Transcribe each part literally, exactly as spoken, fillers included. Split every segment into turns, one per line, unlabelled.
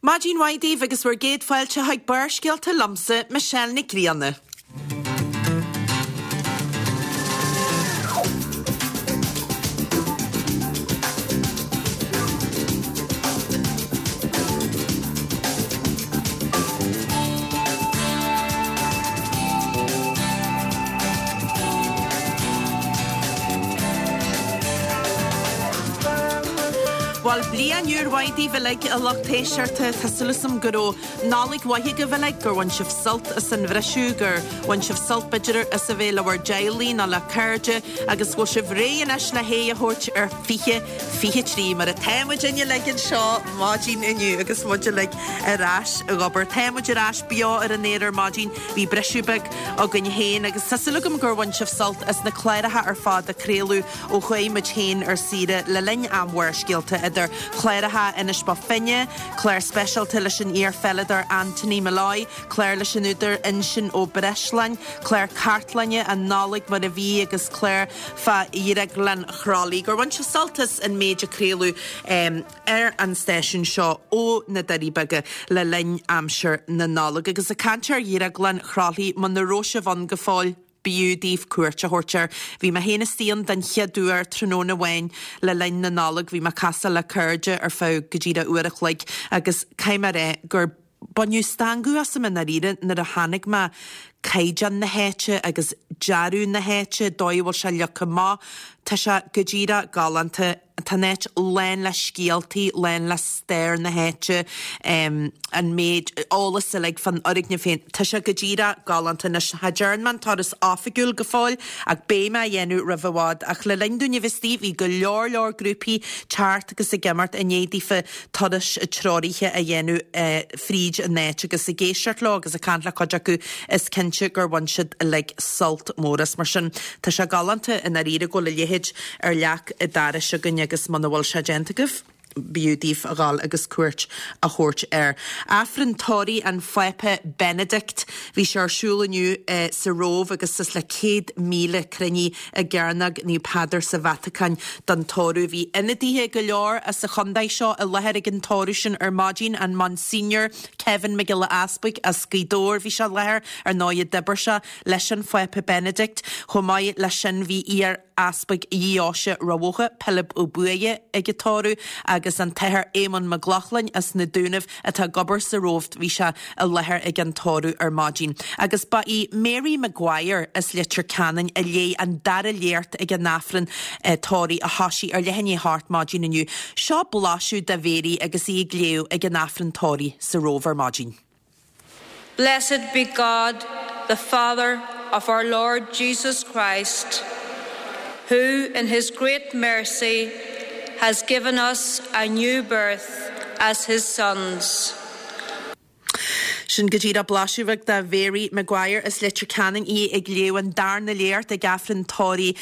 Maidin mhaith daoibh agus bhur gcéad fáilte chuig Barrscéalta liomsa, Michelle Nic Grianna. Bhuel, bliain úr mhaith daoibh uilig, a lucht éisteachta. Tá súil agam go raibh Nollaig mhaith agaibh uilig, gur bhain sibh sult as an bhriseadh, gur bhain sibh sult b'fhéidir as a bheith le bhur dteaghlaigh nó le cairde agus go bhfuil sibh réidh anois le haghaidh a thabhairt ar fiche fiche trí mar atá muid uilig anseo maidin inniu agus muid uilig ar ais ag obair. Tá muid ar ais beo ar an aer ar maidin, bhí briseadh beag againn féin agus tá súil agam gur bhain sibh sult as na cláracha ar fad a craoladh ó chuaigh muid féin ar saoire le linn am Bharrscéalta idir chláracha Inis Bó Finne, clár speisialta leis an iar-pheileadóir Anthony Molloy, clár leis an údar Uinseann Ó Breisleáin, clár cartlainne An Nollaig mar a bhí agus clár fá Dhrioglann Chroithlí. Gur bhain sibh sult as an méid a craoladh ar an stáisiún seo ó na Doirí Beaga le linn aimsir na Nollag. Agus ag caint ar Dhrioglann Chroithlí, muna raibh sibh ann go fóill, b'fhiú daoibh cuairt a thabhairt air. Bhí mé féin istigh ann den chéad uair tráthnóna amháin le linn na Nollag. Bhí mé ag casadh le cairde ar feadh go díreach uair a chloig agus caithfidh mé a rá gur baineadh stangadh asam i ndáiríre nuair a chonaic mé caighdeán na háite agus dearadh na háite, dóigh a bhfuil sé leagtha amach. Tá sé go díreach galánta. Tá an áit lán le scéaltaí, lán le stair na háite, an méid eolas uilig fán fhoirgneamh féin. Tá sé go díreach galánta. Anois, cha dtearn mé an turas oifigiúil go fóill ach beidh mé á dhéanamh roimh i bhfad. Ach le linn dúinn a bheith istigh, bhí go leor leor grúpaí thart agus ag imeacht i ndiaidh daofa turais treoraithe a dhéanamh fríd an áit agus ag éisteacht leo agus ag caint le cuid acu, is cinnte gur bhain siad uilig sult mór as. Mar sin, tá sé galánta i ndáiríre go bhfuil a leithéid ar leac an dorais againn agus muna bhfuil sé déanta agaibh, b'fhiú daoibh a dhul agus cuairt a thabhairt air. Aifreann tórraimh an Phápa Benedict, bhí sé ar siúl inniu sa Róimh agus suas le céad míle cruinnithe i gCearnóg Naomh Peadar sa Vatacáin don tórramh. Bhí ionadaithe go leor as an chontae seo i láthair ag an tórramh sin ar maidin, an Monsignor Kevin Mac Giolla Easbuig as Gaoth Dobhair, bhí sé i láthair, ar ndóigh d'oibir sé leis an Phápa Benedict. Chomh maith leis sin bhí iar-easpag Dheoise Rath Bhotha, Pilib Ó Buaidhe ag an tórramh agus an tAthair Éamonn Mac Lochlainn as na Dúnaibh atá ag obair sa Róimh, bhí sé i láthair ag an tórramh ar maidin. Agus ba í Mary Maguire as Leitir Ceanainn a léigh an dara léacht ag an Aifreann tórraimh a thosaigh ar leath i ndiaidh a hocht maidin inniu. Seo blaiseadh de Mhary agus í ag léamh ag an Aifreann tórraimh sa Róimh ar maidin.
Blessed be God, the Father of our Lord Jesus Christ, who in his great mercy has given us a new birth as his sons.
Sin go díreach blaiseadh bheag de Mhary Maguire as Leitir Ceanainn, í ag léamh an darna léacht ag Aifreann tórraimh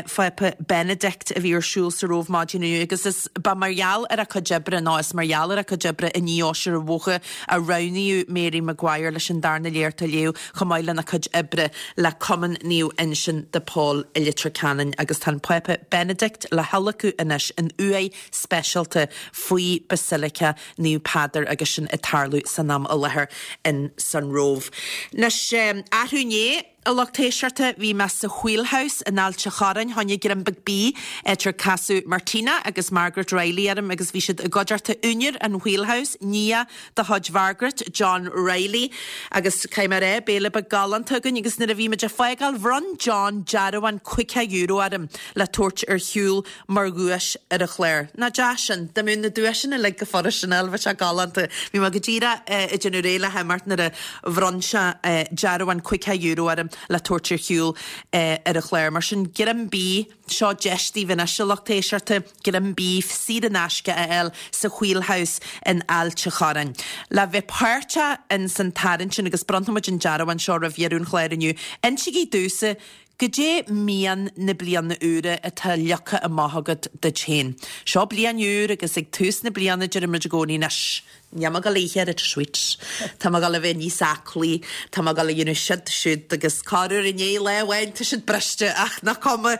Phápa Benedict a bhí ar siúl sa Róimh maidin inniu agus is ba mar gheall ar a cuid oibre nó is mar gheall ar a cuid oibre i ndeoise Rath Bhotha a roghnaíodh Mary Maguire leis an darna léacht a léamh chomh maith lena cuid oibre le Cumann Naomh Uinseann de Pól i Leitir Ceanainn agus tá an Pápa Benedict le hadhlacadh anois in uaigh speisialta faoi Basilica Naomh Peadar agus sin ag tarlú san am i láthair in san Róimh. Anois, arú inné, a lucht éisteachta, bhí mé sa Wheelhouse in Ailt a' Chorráin, tháinig greim beag bídh, áit ar casadh Martina agus Margaret Reilly orm agus bhí siad i gcuideachta úinéir an Wheelhouse, nia de chuid Mhargaret, John Reilly. Agus caithfidh mé a rá, béile beag galánta againn agus nuair a bhí muid ag fágáil, bhronn John dearbhán caoga euro orm le tabhairt ar shiúl mar dhuais ar an chlár. Nach deas sin? Dá mbeadh na duaiseanna uilig go furast, bheadh sé galánta. Bhí mé go díreach ag déanamh réidh le himeacht nuair a bhronn sé dearbhán caoga euro orm le tabhairt ar shiúl ar an chlár. Mar sin, greim bídh, seo deis daoibh anois, a lucht éisteachta, greim bídh saor in aisce a fháil sa Wheelhouse in Ailt a' Chorráin. Le bheith páirteach in san tarraingt sin, agus bronnfaidh muid an dearbhán seo roimh dheireadh an chláir inniu, insígí domhsa Goidé mian na bliana úire atá leagtha amach agat duit féin? Seo bliain úr agus ag tús na bliana deirimid i gcónaí anois, Níl mé ag dul a ithe oiread sweets. Tá mé ag dul a bheith níos aclaí, tá mé ag dul a dhéanamh siod siúd agus corruair i ndiaidh lá amháin tá siad briste ach nach cuma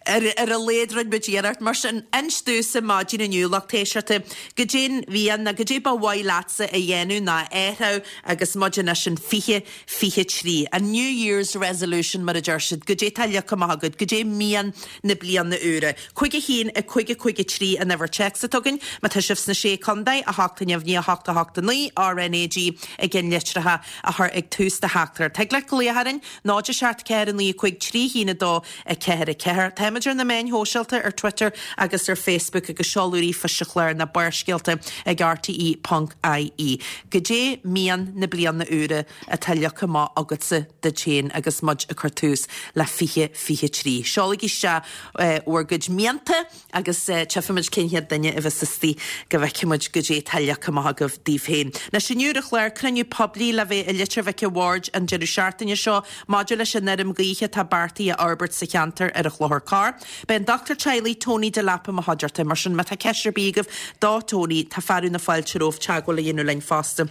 ar ar a laghad rinne muid iarracht. Mar sin, inis domhsa maidin inniu lucht éisteachta goidé an mhian nó goidé ba mhaith leatsa a dhéanamh nó a athrú agus muid anois in fiche fiche trí. An New Year's Resolution mar a deir siad, goidé tá leagtha amach agat, goidé mian na bliana úire. Cúig a haon a cúig a cúig a trí an uimhir téacs atá againn, má tá sibh sna sé contae, a hocht a neamhní a hocht a hocht a naoi, RNAG i gceannlitreacha a chur ag tús do theachtaireacht. Thig leat glaoch orainn, náid a seacht ceathair a naoi a cúig trí haon a dó a ceathair a ceathair. Táimid ar na meáin shóisialta ar Twitter agus ar Facebook agus seoladh ríomhphoist sa chlár na Barrscéalta ag RTE ponc IE. Goidé mian na bliana úire atá leagtha amach agatsa duit féin agus muid ag cur tús le fiche fiche trí. Seolaigí isteach bhur gcuid mianta agus tchífimid cén chéad duine a bheas istigh go bhfeicfimid goidé atá leagtha amach agaibh daoibh féin. Anois inniu ar an chlár cruinniú poiblí le bheith i Leitir Mhic a' Bhaird an deireadh seachtaine seo maidir leis an fheirm gaoithe atá beartaithe a fhorbairt sa cheantar ar an Chlochar Corr. Beidh an dochtúir teaghlaigh Tony Delap i mo chuideachta, mar sin má tá ceist ar bith agaibh do Tony, tá fearadh na fáilte romhaibh teagmháil a dhéanamh linn fosta.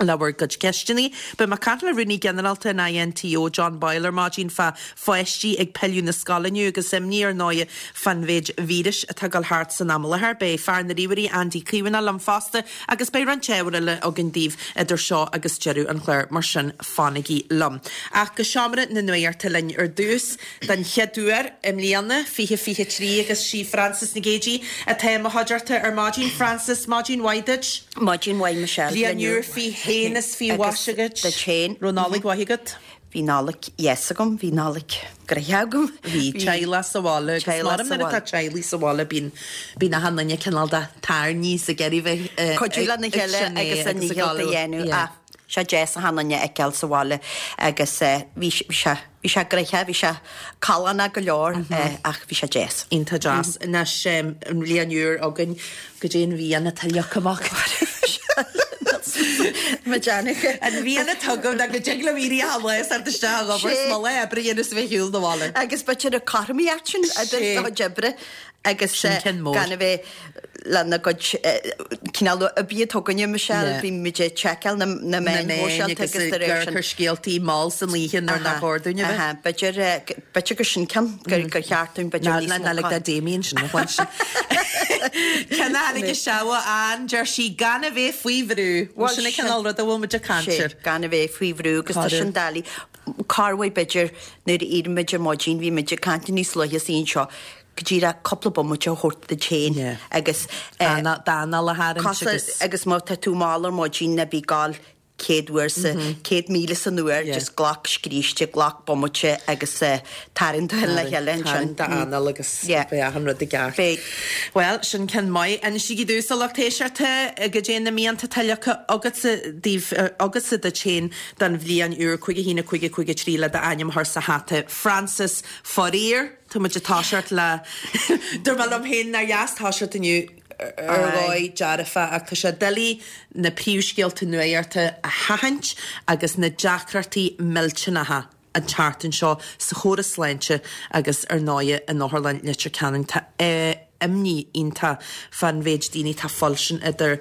le bhur gcuid ceisteanna. Beidh mé ag caint le Rúnaí Ginearálta an INTO John Boyle ar maidin fá pháistí ag pilleadh na scoile inniu agus imní ar ndóigh fán mhéid víris atá ag dul thart san am i láthair. Beidh fear na ríomhairí Andy Caomhánach liom fosta agus beidh roinnt ábhar eile againn daoibh idir seo agus deireadh an chláir mar sin fanaigí liom. Ach go seomra na nuachta linn ar dtús den chéad uair i mbliana fiche fiche trí agus sí Frances Nic Géadaigh atá i mo chuideachta ar maidin. Frances, maidin mhaith duit.
Maidin mhaith Michelle.
Bliain úr faoi fhéin is faoi mhaise agat.
Duit féin.
Raibh Nollaig mhaith agat?
Bhí Nollaig dheas agam, bhí Nollaig gnoitheach agam.
Bhí teaghlach sa bhaile agus
Teaghlach
mar
sa
nuair atá
bhaile.
teaghlaigh sa bhaile bíonn bíonn achan duine cineál de tairní sa gceithre bheith
Cuidiú lena chéile agus an nícheall a dhéanamh.
Yeah.
Ah, sé deas achan duine a fheiceáil sa bhaile agus eh, bhí sé bhí sé bhí sé gnoitheach, bhí sé callánach go leor eh, ach bhí sé deas.
Iontach deas. Anois um, an bhliain úr againn goidé an mhian atá leagtha amach.
Ma Janica.
An mhian atá agam ná go dtig liom éirí achan lá is ort isteach ag obair
Sé.
's mo lá oibre a dhéanamh is bheith shiúl na bhaile.
Agus b'fhéidir a cothromaíocht sin idir
Sé.
do chuid oibre agus
Sin
eh,
ceann mór.
gan a bheith lena gcuid eh, cineál oibrí tugainne Michelle,
Yeah.
bhí muid ag seiceáil na na
Na
meáin
meáin
shóisialta
agus
agus de réir sin.
gur scéaltaí mall san oíche nuair nach
Aha,
chóir dúinn a bheith.
aha, B'fhéidir eh, g- b'fhéidir gur sin ceann gur gur cheart dúinn b'fhéidir
Na
níos
na
mó
na like
ca-
that Damien sin na chuid sin. Ceann a tháinig isteach ó Ann deir sí gan a bheith faoi bhrú.
Bhuel,
Sin an
sin-
cineál rud a bhfuil muid ag caint
Sé,
air.
gan a bheith faoi bhrú agus tá
Corradh.
sin doiligh. Corruair b'fhéidir nuair a éiríonn muid ar maidin bhí muid ag caint níos luaithe sa anseo go díreach cúpla bomaite a thabhairt duit féin
Yeah.
agus eh,
D'anáil a tharraingt
Cosa
agus
agus má tá tú mall ar maidin ná bí ag gabháil céad uair sa céad míle san uair,
Yeah.
just glac scríste, glac bomaite agus eh, tarraing do le chéile ansin.
d'anáil agus
Yeah.
beidh achan rud i gceart.
Beidh.
Well, sin ceann maith. Insígí domhsa lucht éisteachta goidé na mianta atá leagtha agatsa daoibh agatsa duit féin don bhliain úr cúig a haon a cúig a cúig a trí le d'ainm a chur sa hata. Frances faraor, tá muid ag toiseacht le Dúirt mé liom féin nár dheas toiseacht inniu ar dhóigh dearfa ach tá sé doiligh na príomhscéalta nuachta a sheachaint agus na deacrachtaí millteanacha an tseachtain seo sa chóras sláinte agus ar ndóigh in Otharlann Leitir Ceanainn tá eh, imní iontach fán mhéid daoine tá foilsin idir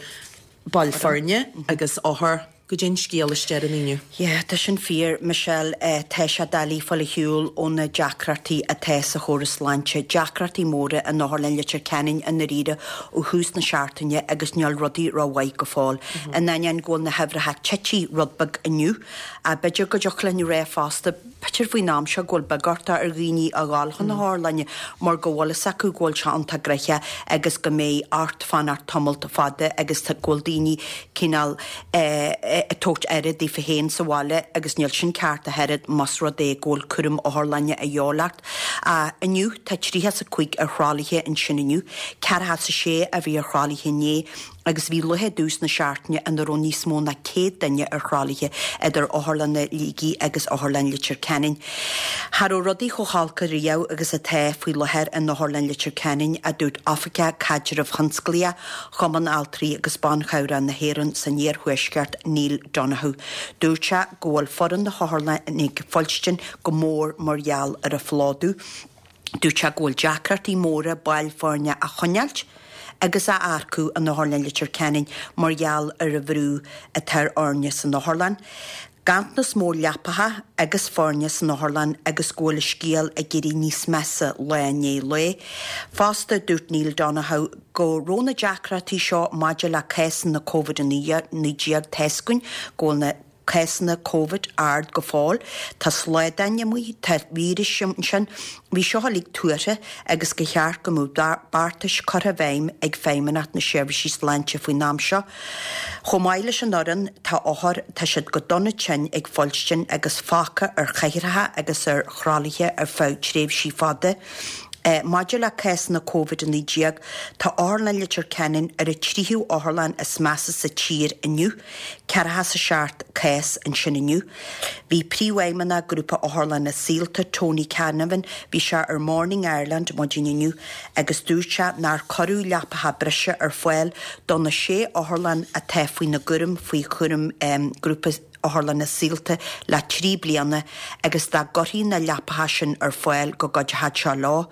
baill foirne agus othair goidé an scéal is deireanaí inniu.
Yeah, tá sin fíor, Michelle, eh, tá sé doiligh fáil ar shiúl ó na deacrachtaí atá sa chóras sláinte, deacrachtaí móra in Otharlann Leitir Ceanainn i ndáiríre ó thús na seachtaine agus níl rudaí rómhaith go fóill. In ainneoin go bhfuil na huimhreacha tite rud beag inniu, a b'fhéidir go dtiocfadh linn rá fosta, b'fhéidir faoin am seo go bhfuil beagortha ar dhaoine a ghabháil chun na hotharlainne mar go bhfuil fhios acu go bhfuil sé iontach gnoitheach agus go mbeidh ort fanacht tamall fada agus go bhfuil daoine cineál eh, eh, ag tabhairt aire daofa féin sa bhaile agus níl sin ceart a thuilleadh más rud é go bhfuil cúram otharlainne a dhíobháil ort. Uh, inniu tá tríocha a cúig ar thralaithe ansin inniu, ceathracha a sé a bhí ar thralaithe inné agus bhí lá i dtús na seachtaine ina raibh níos mó ná céad duine ar thralaithe idir Otharlann Shligigh agus Otharlann Leitir Ceanainn. Cha raibh rudaí chomh holc riamh agus atá faoi láthair in Otharlann Leitir Ceanainn a dúirt Oifigeach Caidrimh Thionsclaíoch, Chumann Altraí agus Ban Chabhrach na hÉireann san iarthuaisceart Neil Donoghue. Dúirt sé go bhfuil foireann na hotharlainne ag fuilstin go mór mar gheall ar an phlódú. Dúirt sé go bhfuil deacrachtaí móra baill foirne a choinneáil agus a earcú in Otharlann Leitir Ceanainn mar gheall ar an bhrú atá ar fhoirne san otharlann. Ganntanas mór leapacha agus foirne san otharlann agus go bhfuil an scéal ag éirí níos measa lá i ndiaidh lae. Fosta, dúirt Neil Donohoe go raibh na deacrachtaí seo maidir le cásanna Covid a naoi déag tá 'fhios againn go bhfuil na cásanna Covid ard go fóill. Tá sládáin amuigh, tá víris ansin. Bhí seo uilig tuartha agus gur cheart go mbeadh beartais curtha i bhfeidhm ag Feidhmeannacht na Seirbhísí Sláinte faoin am seo. Chomh maith leis an fhoireann, tá othair, tá siad go dona tinn ag fuilstin agus fágtha ar chathaoireacha agus ar thralaithe ar feadh tréimhsí fada. Maidir le cásanna Covid a naoi déag, tá Otharlann Leitir Ceanainn ar an tríú otharlann is measa sa tír inniu, ceathracha is a seacht cás ansin inniu. Bhí Príomhfheidhmeannach Grúpa Otharlanna Saolta, Tony Canavan, bhí sé ar Morning Ireland maidin inniu agus dúirt sé nár cuireadh leapacha breise ar fáil do na sé otharlann atá faoina gcúram faoi chúram Grúpa Otharlanna Saolta le trí bliana agus dá gcuirfí na leapacha sin ar fáil go gcuideodh seo leo.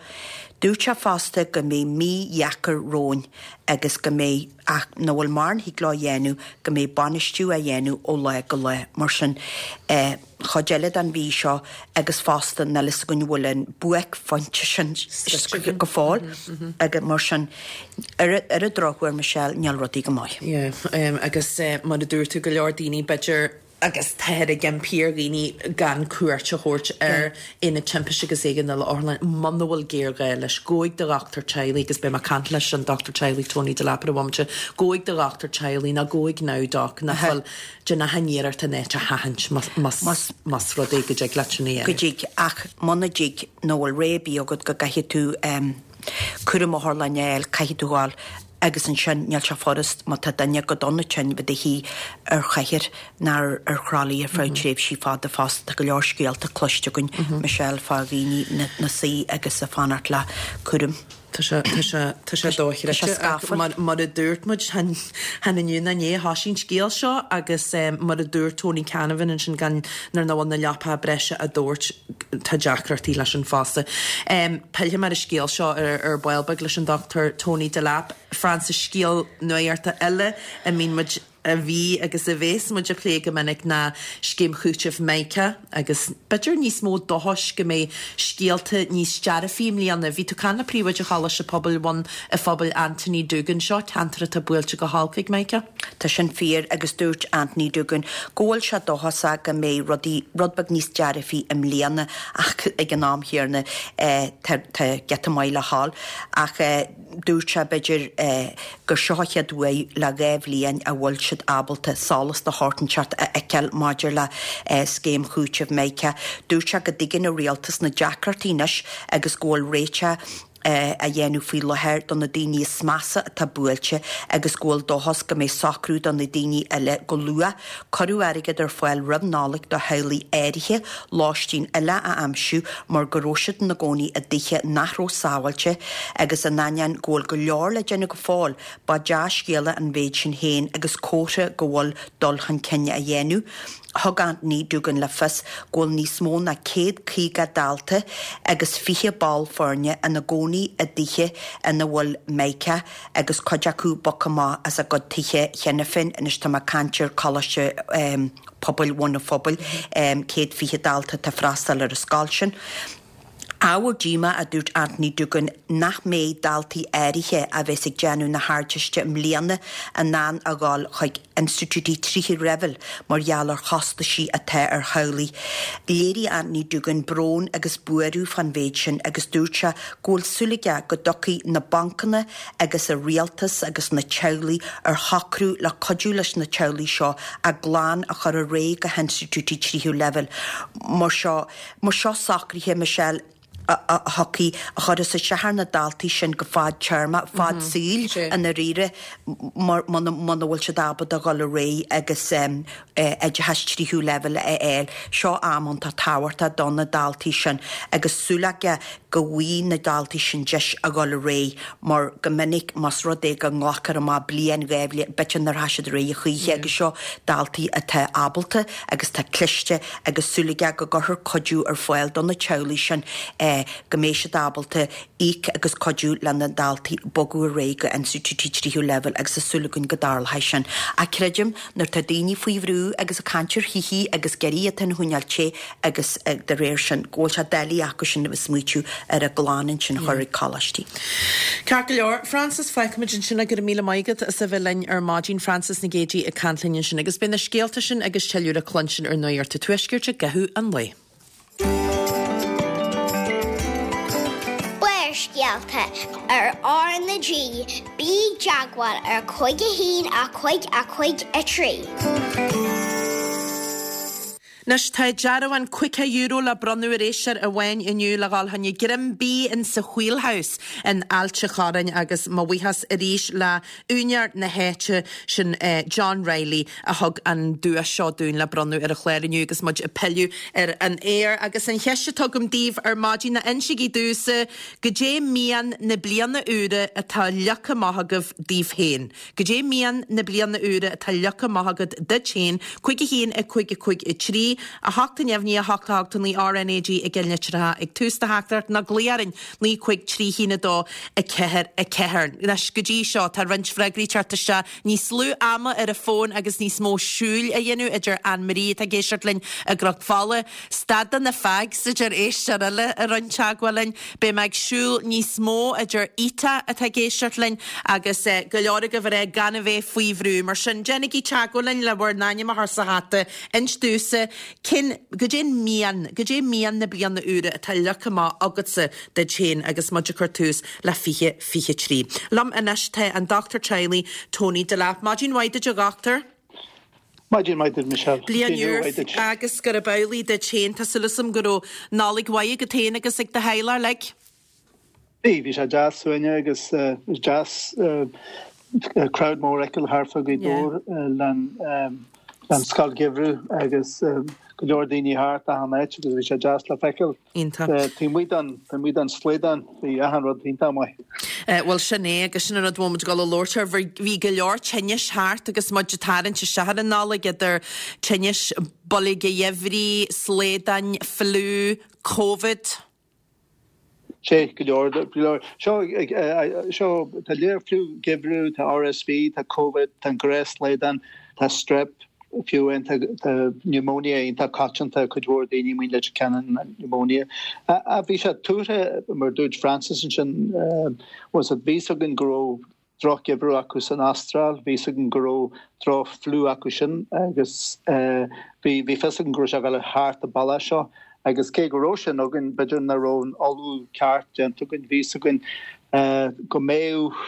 Dúirt sé fosta go mbeidh mí dheacair romhainn agus go mbeidh, ach nach bhfuil mórán thig leo a dhéanamh, go mbeidh bainistiú á dhéanamh ó lá go lá. Mar sin, chuid eile den mhí seo agus fosta níl fhios againn an bhfuil an buaicphointe sin go fóill agus mar sin, ar ar an drochuair, Michelle, níl rudaí go maith.
Yeah, agus mar a dúirt tú, go leor daoine b'fhéidir agus táthar ag impí ar dhaoine gan cuairt a thabhairt ar Aonad Timpiste agus Éigeandála Otharlann muna bhfuil géarghá leis. Gabh chuig do dhochtúir teaghlaigh agus beidh mé ag caint leis an dochtúir teaghlaigh Tony Delap ar an bhomaite, gabh chuig do dhochtúir teaghlaigh nó gabh chuig NowDoc nach bhfuil déan achan iarracht an áit a sheachaint más rud é go dtig leat sin a dhéanamh.
Go dtig, ach muna dtig nó bhfuil rogha ar bith agat go gcaithfidh tú cúram otharlainne a fháil, caithfidh tú ghabháil agus ansin níl sé furast má tá duine go dona tinn bheith i do shuí ar chathaoir nó ar thralaí ar feadh tréimhsí fada fosta. Tá go leor scéalta cloiste againn, Michelle, fá dhaoine ina suí agus ag fanacht le cúram.
Tá sé, tá sé, tá sé dochreidte ach mar, mar a dúirt muid, chan, chan inniu ná inné a thosaigh an scéal seo agus mar a dúirt Tony Canavan ansin gan, nuair nach bhfuil na leapacha breise á dtabhairt, tá deacrachtaí leis sin fosta. Pillfidh mé ar an scéal seo ar, ar ball beag leis an Dochtúir Tony Delap. Frances, scéal nuachta eile a mbíonn muid, a bhí agus a bhéas muid a phlé go minic ná scéim chúitimh Mica agus b'fhéidir níos mó dóchais go mbeidh scéalta níos dearfaí i mbliana. Bhí tú ag caint le Príomhoide Choláiste Pobail Bhun a' Phobail Anthony Doogan. Seo ceantar atá buailte go holc ag Mica.
Tá sin fíor agus dúirt Anthony Doogan go bhfuil sé dóchasach go mbeidh rudaí rud beag níos dearfaí i mbliana ach ag an am chéanna tá giota maith le dhul ach dúirt sé b'fhéidir gur seo an chéad uair le dhá bhliain a bhfuil siad ábalta solas de shórt inteacht a fheiceáil maidir le scéim chúitimh Mica. Dúirt sé go dtuigeann an rialtas na deacrachtaí anois agus go bhfuil réiteach á dhéanamh faoi láthair do na daoine is measa atá buailte agus go bhfuil dóchas go mbeidh socrú do na daoine eile go luath. Cuireadh airgead ar fáil roimh Nollaig do theaghlaigh áirithe lóistín eile a aimsiú mar go raibh siad ina gcónaí i dtithe nach raibh sábháilte agus in ainneoin go bhfuil go leor le déanamh go fóill, ba dea-scéala an mhéid sin féin agus comhartha go bhfuil dul chun cinn á dhéanamh. Thug Anthony Doogan le fios go bhfuil níos mó ná céad caoga dalta agus fiche ball foirne ina gcónaí i dtithe ina bhfuil Mica agus cuid acu bogtha amach as a gcuid tithe cheana féin. Anois tá mé ag caint ar Choláiste Pobail Bhun an Phobail, céad fiche dalta atá ag freastal ar an scoil sin. Ábhar díomá, a dúirt Anthony Doogan, nach mbeidh daltaí áirithe a bheas ag déanamh na hArdteiste i mbliana in ann a dhul chuig institiúidí tríú leibhéal mar gheall ar chostaisí atá ar theaghlaigh. Léirigh Anthony Doogan brón agus buaireamh fán mhéid sin agus dúirt sé go bhfuil súil aige go dtiocfaidh na bancanna agus an rialtas agus na teaghlaigh ar shocrú le cuidiú leis na teaghlaigh seo a gclann a chur ar aghaidh go hinstitiúidí tríú leibhéal. Mar seo, mar seo socruithe, Michelle, a thiocfaidh, a chuirfeas isteach ar na daltaí sin go fadtéarma, fad saoil i ndáiríre, muna bhfuil siad ábalta a dhul ar aghaidh agus oideachas tríú leibhéal a fháil. Seo am iontach tábhachtach do na daltaí sin agus súil aige go bhfaighidh na daltaí sin deis a dhul ar aghaidh mar go minic más rud é go nglactar amach bliain dhá bhliain b'fhéidir nár sheas siad ar aghaidh a choíche agus seo daltaí atá ábalta agus tá cliste agus súil aige go gcuirfear cuidiú ar fáil do na teaghlaigh sin eh, go mbeidh siad ábalta íoc agus cuidiú le na daltaí bogadh ar aghaidh go institiúidí tríú leibhéal agus tá súil againn go dtarlóidh sin. Ach creidim nuair tá daoine faoi bhrú agus ag caint ar thithe agus gerí atá ina choinneáil te agus eh, de réir sin go bhfuil sé doiligh acu sin a bheith smaoitiú ar a gclann ansin a chur ag coláistí.
Ceart go leor, Frances fágfaimid ansin go raibh míle maith agat as a bheith linn ar maidin Frances Nic Géadaigh ag caint linn ansin agus beidh na scéalta sin agus tuilleadh le cluinstin ar Nuacht an Tuaiscirt i gcaitheamh an lae.
Barrscéalta ar R na G, bí i dteagmháil ar cúig a haon a cúig a cúig a trí.
Anois tá dearbhán caoga euro le bronnadh ar éisteoir amháin inniu le dhul chuig Greim Bídh in sa Wheelhouse in Ailt an Chorráin agus mo bhuíochas arís le úinéir na háite sin eh, John Riley a thug an duais seo dúinn le bronnadh ar an chlár inniu agus muid ag pilleadh ar an aer agus an cheist atá agam daoibh ar maidin ná insígí domhsa goidé mian na bliana úire atá leagtha amach agaibh daoibh féin. Goidé mian na bliana úire atá leagtha amach agat duit féin, cúig a haon a cúig a cúig a trí, a hocht a neamhní a hocht a hocht naoi RnaG i gcillnitreacha ag tús do theachtaireacht nó glaoigh orainn naoi cúig trí haon a dó a ceathair a ceathair. Anois go dtí seo tá roinnt freagraí teacht isteach níos lú ama ar an bhfón agus níos mó siúil a dhéanamh a deir Anne-Marie atá ag éisteacht linn i gCnoc Fola. Stad de na fags a deir éisteoir eile a rinne teagmháil linn, Beidh mé ag siúl níos mó a deir Ita atá ag éisteacht linn agus eh, go leor agaibh ag rá gan a bheith faoi bhrú mar sin déanaigí teagmháil linn le bhur n-ainm a chur sa hata inis domhsa cén goidé mian goidé mian na bliana úire atá leagtha amach agatsa duit féin agus muid ag cur tús le fiche fiche trí. Liom anois tá an Dochtúir Teaghlaigh Tony Delap. Maidin mhaith duit a dhochtúir.
Maidin mhaith duit Michelle.
Bliain úr agus gurb amhlaidh duit féin Tá súil agam go raibh Nollaig mhaith agat féin agus ag do theaghlach uilig.
Bhí bhí sé deas suaimhneach agus deas crowd mór eil harfa go dór le an scoil gheimhridh agus go leor daoine thart achan áit agus bhí sé deas le feiceáil. Taobh amuigh den slaghdán bhí achan rud iontach maith.
Bhuel sin é agus sin an rud muid go leirtear bhí go leor tinnis thart agus muid ag tarraingt isteach ar an Nollaig idir tinnis boilge gheimhridh, slaghdán, fliú, COVID.
Sé go leor go leor seo seo tá léir fliú geimhridh tá RSV tá COVID tá gnáthshlaghdán tá strep fiú tá pneumonia iontach coitianta cuid mhór daoine muin le cean pneumonia. A bhí sé tuaithe mar dúirt Francis sin was a bhí againn go raibh drochgheimhreadh acu san Astráil, bhí againn go raibh droch-fhliú acu sin agus bhí bhí fios againn go raibh sé le thart a balla seo. agus cé go raibh sin againn b'fhéidir nach raibh an ullmhú ceart déanta againn bhí againn go mbeadh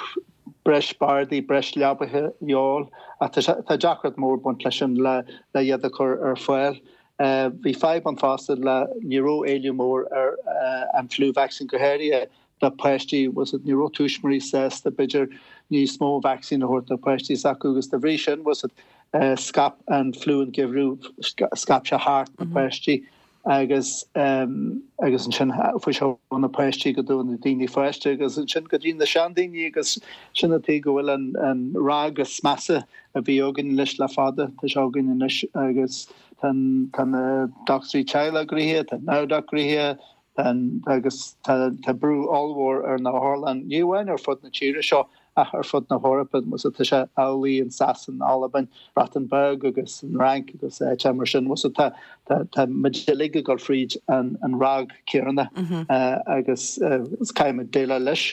breis bardaí breis leabaithe eol tá deacracht mór baint leis sin le le iad a chur ar fáil. Bhí fadhb an fosta le ní raibh éileamh mór ar an flu vaccine go háirithe do pháistí was it ní raibh tuismitheoirí sásta b'fhéidir níos mó vaccine a thabhairt do pháistí s'acu agus de bhrí sin was it scaip an fliú an geimhreadh scaip sé thart na páistí agus um, agus ansin fuair sé na páistí go dtí na daoine fásta agus ansin go dtí na seandaoine agus sin atá go bhfuil an, an ráig is measa a bhí againn leis le fada tá sé againn anois agus tá tá na dochtúirí teaghlaigh gnoitheach tá NAVDOC gnoitheach agus tá brú ollmhór ar na hotharlanna ní amháin ar fud na tíre seo ach ar fud na hEorpa mus tá sé amhlaidh in Sasain Albain Breatain Bheag agus an Fhrainc agus te mar sin mus tá tá muid uilig ag dul fríd an an ráig chéanna agus caithfimid déileáil leis.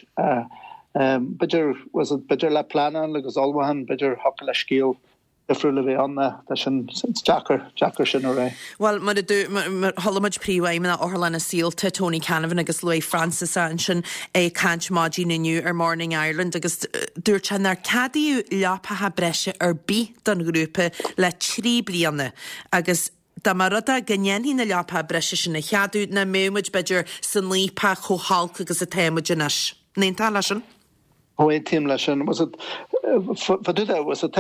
B'fhéidir b'fhéidir le pleanáil agus ullmhúchán b'fhéidir thiocfadh le scéal difriúil a bheith ann tá sin deacair deacair sin a rá.
Well mar chuala muid príomhfheidhmeannach Otharlanna Saolta Tony Canavan agus luaigh Francis ansin ag caint maidin inniu ar Morning Ireland agus dúirt sé nár ceadaíodh leapacha breise ar bith don ghrúpa le trí bliana agus dá mba rud é go ndéanfaí na leapacha breise sin a cheadú nach mbeadh muid b'fhéidir san fhaopach chomh holc agus atá muid anois. Ní tá leis sin?
Aontaím leis sin. Fá dtaobh de, was it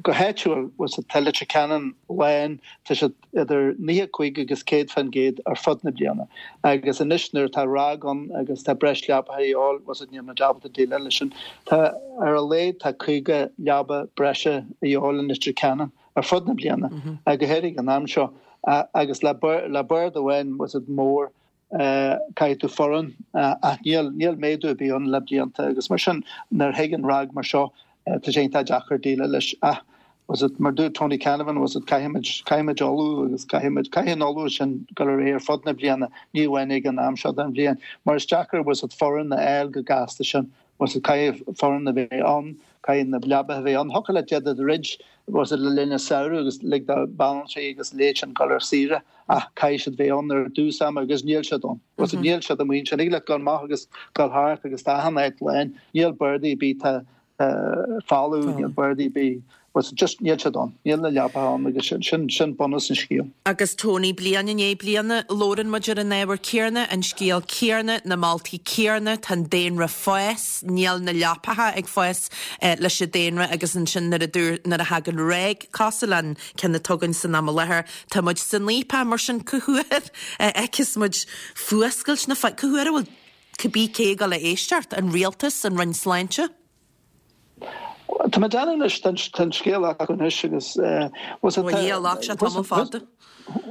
go háitiúil, was it tá Leitir Ceanainn lán, tá siad idir naocha cúig agus céad faoin gcéad ar fud na bliana. Agus anois nuair atá RAG ann agus tá breis leapacha a dhíobháil, was it níl muid ábalta déileáil leis sin. Tá ar a laghad tá caoga leaba breise a dhíobháil in Leitir Ceanainn ar fud na bliana, go háirithe an am seo. Agus le bord amháin, was it mór, Caithfidh tú foireann ach níl níl méadú ar bith ann le blianta agus mar sin nuair a thagann RAG mar seo tá sé iontach deacair déileáil leis ach was it mar dúirt Tony Canavan was it caithfimid caithfimid ullmhú agus caithfimid caithfidh an ullmhú sin dul ar aghaidh ar fud na bliana ní amháin ag an am seo den bhliain mar is deacair was it foireann a fháil chomh gasta sin was it caithfidh foireann a bheith ann caithfidh na leabaithe a bheith ann thiocfadh leat iad a dhruid was it le linn an samhradh agus lig do banaltraí agus a leithéid sin dul ar saoire ach caithfidh siad bheith ann ar dtús ama agus níl siad ann. Was it níl siad amuigh ansin. Thig leat dul amach agus dul thart agus tá achan áit lán. Níl bardaí ar bith tá folamh, níl bardaí ar bith. Was it just níl siad ann. Níl na leapacha ann agus sin sin sin bunús an scéil.
Agus Tony, bliain i ndiaidh bliana, labhrann muid ar an ábhar céanna, an scéal céanna, na moltaí céanna, tá an daonra ag fás, níl na leapacha ag fás leis an daonra agus ansin nuair a dúirt, nuair a thagann RAG cosúil leis an ceann atá againn san am i láthair, tá muid san fhaopach mar sin cá huair a fheicfeas muid fuascailt na fadhbe, cá huair a bhfuil cibé cé ag dul a éisteacht, an rialtas, an Roinn Sláinte?
Tá mé ag déanamh anois, tá an scéal acu anois agus was it
Ó a ghlac sé tamall fada.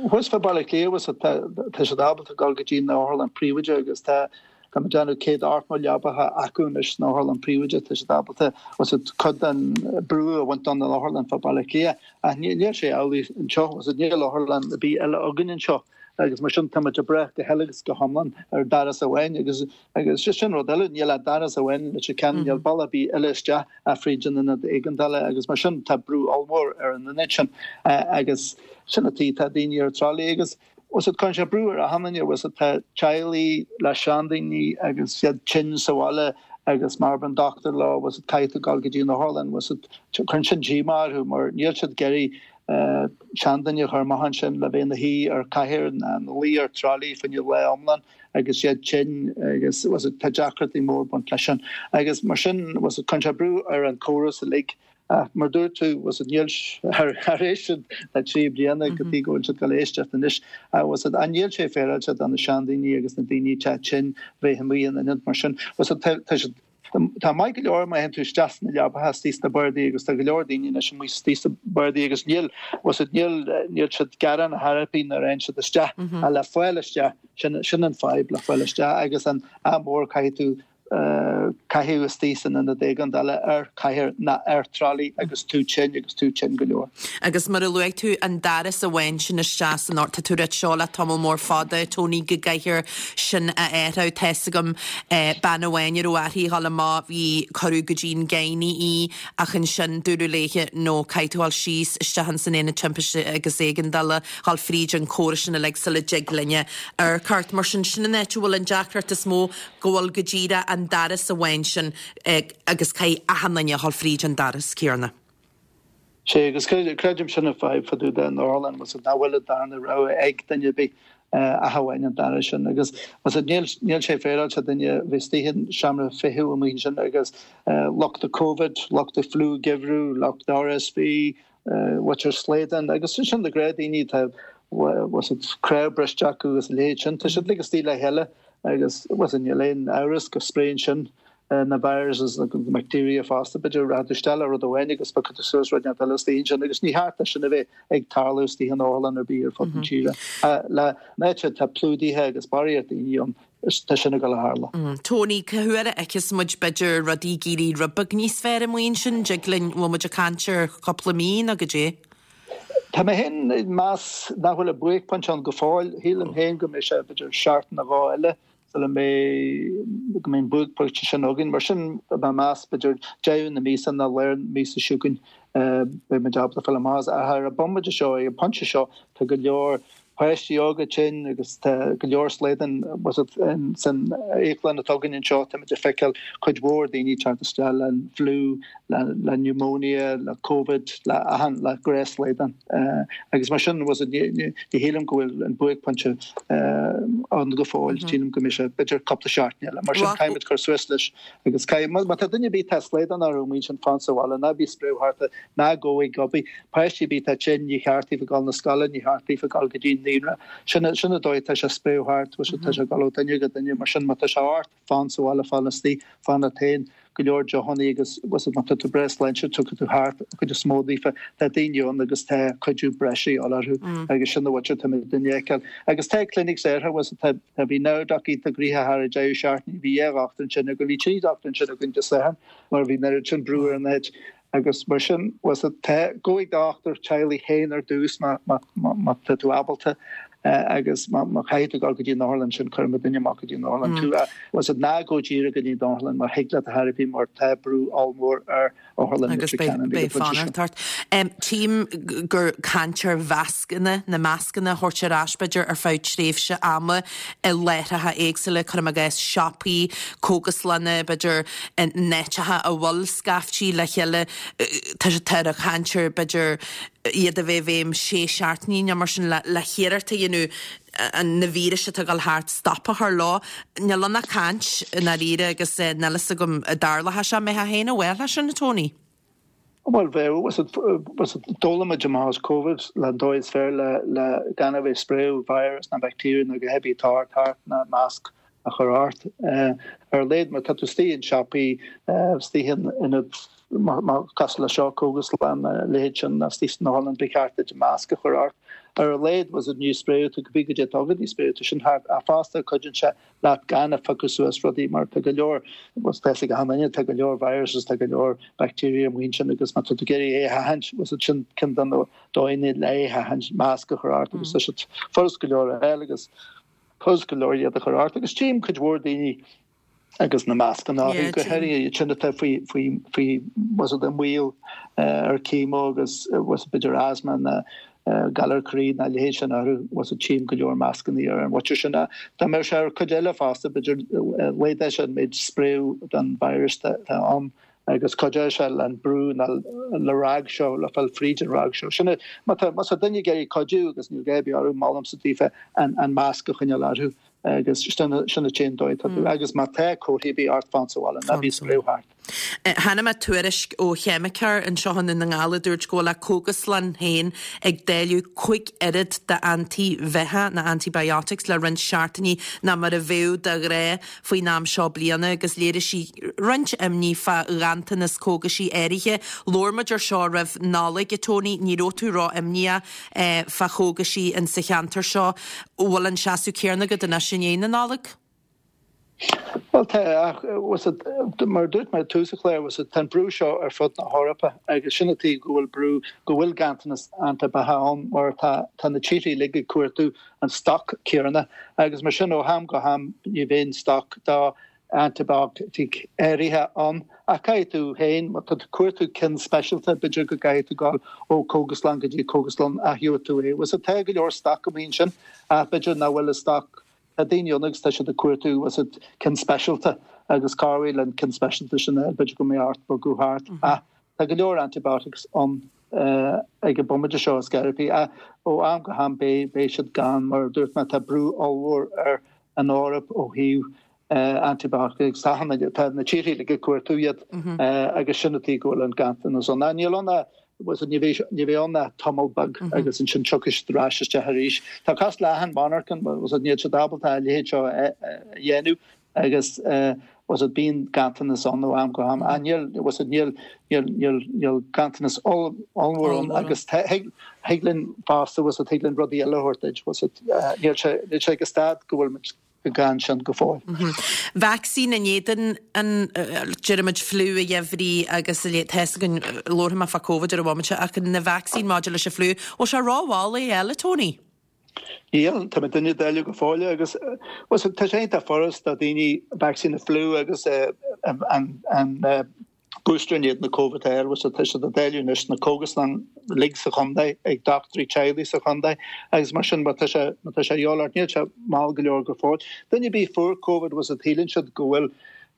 Thuas fá Baile Átha Cliath was it tá siad ábalta dul go dtí an otharlann príobháideach agus tá tá mé ag déanamh céad ochtó leapacha acu anois san otharlann príobháideach, tá siad ábalta was it cuid den brú a bhaint den otharlann fá Baile Átha Cliath ach níl sé amhlaidh anseo was it níl otharlann ar bith eile againn anseo agus mar sin tá muid ag brath go huile agus go hiomlán ar doras amháin agus agus sin rud eile níl ach doras amháin i Leitir Ceanainn níl bealach ar bith eile isteach ach fríd an ionad éigeandála agus mar sin tá brú ollmhór ar an ionad sin agus sin an tuige tá daoine ar tralaí agus was it cuireann sé brú ar achan duine was it tá teaghlaigh le seandaoine agus iad tinn sa bhaile agus mar an dochtúir leo was it caithfidh tú dul go dtí an otharlann was it cuireann sin díomá orthu mar níl siad ag iarraidh seanduine a chur amach ansin le bheith ina shuí ar chathaoir ná ina luí ar tralaí fá choinne lá iomlán agus iad tinn agus was it tá deacrachtaí mór ag baint leis sin agus mar sin was it cuireann sé brú ar an córas uilig ach mar dúirt tú was it níl tar éis le trí bliana go dtí go bhfuil siad ag dul éisteacht anois was it an níl sé féaráilte do na seandaoine agus na daoine atá tinn bheith amuigh in ionad mar sin was it tá siad Tá maith go leor má théann tú isteach sna leapacha istigh sna bardaí agus tá go leor daoine anois amuigh istigh sna bardaí agus níl was it níl níl siad gearán ar chor ar bith nuair a théann siad isteach ach le fáil isteach sin sin an fadhb le fáil isteach agus an ádh mór caithfidh tú caitheamh istigh san ionad éigeandála ar chathaoir ná ar tralaí agus tú tinn agus tú tinn go leor.
Agus mar a luaigh tú an doras amháin sin isteach san ort, tá tú ag ráit seo le tamall mór fada, Tony, go gcaithfear sin a athrú. Tá's agam bean amháin a raibh uirthi a dhul amach, bhí, cuireadh go dtí an gynae í ach ansin dúradh léithe no, caithfidh tú dhul síos isteach ins an aonad timpiste agus éigeandála, dhul fríd an córas sin uilig sula dtig linne amharc ort. Mar sin, sin an áit a bhfuil an deacracht is mó, go bhfuil go díreach an doras amháin sin agus caithfidh achan duine a dhul fríd an doras céanna.
Sé, agus creidim sin an fadhb fá dtaobh den otharlann, was it nach bhfuil an darna rogha ag duine ar bith ach amháin an doras sin agus was it níl níl sé féaráilte duine bheith istigh in seomra feithimh amuigh ansin agus lucht an Covid, lucht an fliú geimhreadh, lucht RSV, muintir Sladen agus sin na gnáthdhaoine tá was it cnámh briste acu agus a leithéid sin, tá siad uilig istigh le chéile agus was it níl aon amhras go spréann sin na viruses agus na bacteria fosta b'fhéidir rachaidh tú isteach le rud amháin agus piocfaidh tú suas rud inteacht eile istigh ansin agus ní cheart é sin a bheith ag tarlú istigh in otharlann ar bith ar fud na tíre. Le áit atá plódaithe agus barraíocht daoine ann tá sin ag dul a tharlú.
Tony, cá huair a fheicfeas muid b'fhéidir rudaí ag éirí rud beag níos fearr amuigh ansin, dtig linn, bhfuil muid ag caint ar chúpla mí nó goidé?
Tá mé féin ag meas nach bhfuil an buaicphointe ann go fóill. Shílim féin go mbeidh sé b'fhéidir seachtain nó dhó eile sula mbeidh go mbeidh an buaicphointe sin againn. Mar sin tá mé ag meas b'fhéidir deireadh na míosa nó lár na míosa seo chugainn beidh muid ábalta fáil amach as. Ach ar an bomaite seo, ag an bpointe seo, tá go leor Páistí óga tinn agus tá go leor slaghdán san íoclann atá againn anseo, táimid ag feiceáil cuid mhór daoine teacht isteach le an fliú, le le pneumonia, le Covid, le achan le gnéas slaghdán. Agus mar sin was ní ní shílim go bhfuil an buaicphointe ann go fóill, sílim go mbeidh sé b'fhéidir cúpla seachtain eile. Mar sin caithfimid cur suas leis agus caithfidh má tá duine ar bith tá slaghdán orthu amuigh ansin fan sa bhaile, ná bí ag spréadh thart, ná gabh ag obair. Páistí ar bith atá tinn, ní cheart daofa dul na scoile, ní cheart daofa dul go dtí an naíonra. Sin sin an dóigh atá sé ag spréadh thart, tá sé ag dul ó duine go duine, mar sin má tá sé ort, fan sa bhaile, fan istigh, fan leat féin, go leor deochannaí agus má tá tú breá sláintiúil tiocfaidh tú thart, an chuid is mó daofa, tá daoine ann agus tá cuidiú breise a dhíobháil orthu agus sin an bhuaite atá muid ag feiceáil. Agus tá clinics airthe, tá tá bhí Nowdoc iontach gnoitheach thar an deireadh seachtaine, bhí dhá dhochtúir ansin againn, bhí trí dhochtúir ansin againn Dé Sathairn mar bhí an oiread sin brú ar an áit. Agus mar sin, tá, gabh ag do dhochtúir teaghlaigh féin ar dtús má má tá tú ábalta agus má má chaithfidh tú dul go dtí an otharlann sin cuirfidh muid duine amach go dtí an otharlann tú. Was it ná gabh díreach go dtí an otharlann mar thig leat a thairbhí mar tá brú ollmhór ar otharlann
Agus
Leitir
beidh
Ceanainn ag an
beidh
bpointe seo.
fanacht ort. Tchím gur caint ar mhascanna, na mascanna a thabhairt ar ais b'fhéidir ar feadh tréimhse ama i láithreacha éagsúla, cuirim i gcás siopaí, cógaslanna, b'fhéidir in áiteacha a bhfuil scaiftí le chéile, tá tá ar chaint ar b'fhéidir iad a bheith i bhfeidhm sé seachtainí nó mar sin le le hiarracht a dhéanamh an na víris atá ag dul thart stop a chur leo. Níl ann ach caint i ndáiríre agus níl fhios agam an dtarlóidh sé mé féin a bhfuil sin a Tony.
Bhuel bheadh was it was it d'fhoghlaim muid amach as Covid le an dóigh is fearr le le gan a bheith spréadh virus na bacteria nó go heavy atá thart ná masc a chur ort. Ar a laghad má tá tú istigh in siopaí, istigh in ionad cosúil le seo, cógaslann, a leithéid sin, nó istigh san otharlann, ba cheart duit masc a chur ort. Ar a laghad was it ní spréadh tú go dtí go dtí spréadh tú sin thart ach fosta cuidíonn sé leat gan a phiocadh suas rudaí mar tá go leor was tá ag achan duine tá go leor viruses tá go leor bacteria amuigh ansin agus má tá tú ag iarraidh é a sheachaint was it sin ceann de na dóigheanna le é a sheachaint masc a chur ort agus tá siad furast go leor a fháil agus furast go leor iad a chur ort agus tchím cuid mhór daoine agus na mascanna orthu go háirithe iad sin atá faoi faoi faoi was it i mbaol ar chemo agus was it b'fhéidir asthma na galar croí na leithéid sin orthu was it tchím go leor mascanna ar an mhuintir sin. Dá mbeadh sé ar cuid eile fosta b'fhéidir laghdódh sé an méid spréadh den virus atá ann agus cuideoidh sé le an brú nó le ráig seo le fáil fríd an ráig seo. Sin má tá má tá duine ag iarraidh cuidiú agus níl gá ar bith orthu molaimse daofa an an masc a choinneáil orthu agus sin sin an t-aon dóigh atá tú agus má tá comharthaí ar bith ort fan sa bhaile ná bí ag spréadh thart.
Chonaic mé tuairisc ó cheimiceoir anseo i nDún na nGall a dúirt go bhfuil a cógaslann féin ag dáileadh cúig oiread d'antaibheatha na antibiotics le roinnt seachtainí ná mar a bheadh de ghnáth faoin am seo bliana agus léirigh sí roinnt imní fá ghanntanas cógaisí áirithe. Labhair muid ar seo roimh Nollaig a Tony, ní raibh tú ró-imníoch fá chógaisí in sa cheantar seo. Bhfuil an seasamh céanna agat anois i ndiaidh na Nollag?
Well tá ach was it mar dúirt mé tús an chláir was it tá an brú seo ar fud na hEorpa agus sin an tuige go bhfuil brú go bhfuil ganntanas antaibheatha ann mar tá tá na tíortha uilig ag cuartú an stoc céanna agus mar sin ó ham go ham ní bhíonn stoc dá antibiotic áirithe ann ach caithfidh tú féin má tá tú cuartú cinn speisialta b'fhéidir go gcaithfidh tú dul ó cógaslann go dtí cógaslann ach gheobhaidh tú é. Was it tá go leor stoc amuigh ansin ach b'fhéidir nach bhfuil an stoc Tá daoine ann agus tá siad ag cuartú was it cinn speisialta agus cabhraigh le an cinn speisialta sin a fháil b'fhéidir go mbeidh ort bogadh thart. Ach tá go leor antibiotics ann ag an bomaite seo is gearrthaí ach ó am go ham beidh beidh siad gann mar a dúirt mé tá brú ollmhór ar an Eoraip ó thaobh antibiotics tá tá na tíortha uilig ag cuartú iad agus sin an tuige go bhfuil an ganntanas ann. Níl ann ach was it ní bheidh ní bheidh ann ach tamall beag agus ansin tiocfaidh siad ar ais isteach arís. Tá cosúil le achan monarcha was it níl siad ábalta a leithéid seo a dhéanamh agus was it bíonn ganntanas ann ó am go ham. Ach níl was it níl níl níl níl ganntanas ollmhór ann agus thig thig linn fosta was it thig linn rudaí eile a thabhairt duit was it níl sé níl sé ag stad go bhfuil muid gan sin go fóill.
Vacsaín in éadan an deirimid fliú a gheimhridh agus tá a fhios againn labharfaidh mé fá Covid ar an bhomaite ach na vacsaín maidir leis an fliú, bhfuil sé rómhall é a fháil a Tony?
Níl, tá muid ag dáileadh go fóill agus tá sé iontach furast do daoine vacsaín na fliú agus an an booster in éadan na Covid a fháil, bhfuil tá siad á dáileadh anois sna cógaslanna uilig sa chontae, ag dochtúirí teaghlaigh sa chontae agus mar sin má tá sé má tá sé a dhíobháil ort níl sé mall go leor go fóill. Duine ar bith a fuair Covid bhfuil a fhios agat síleann siad go bhfuil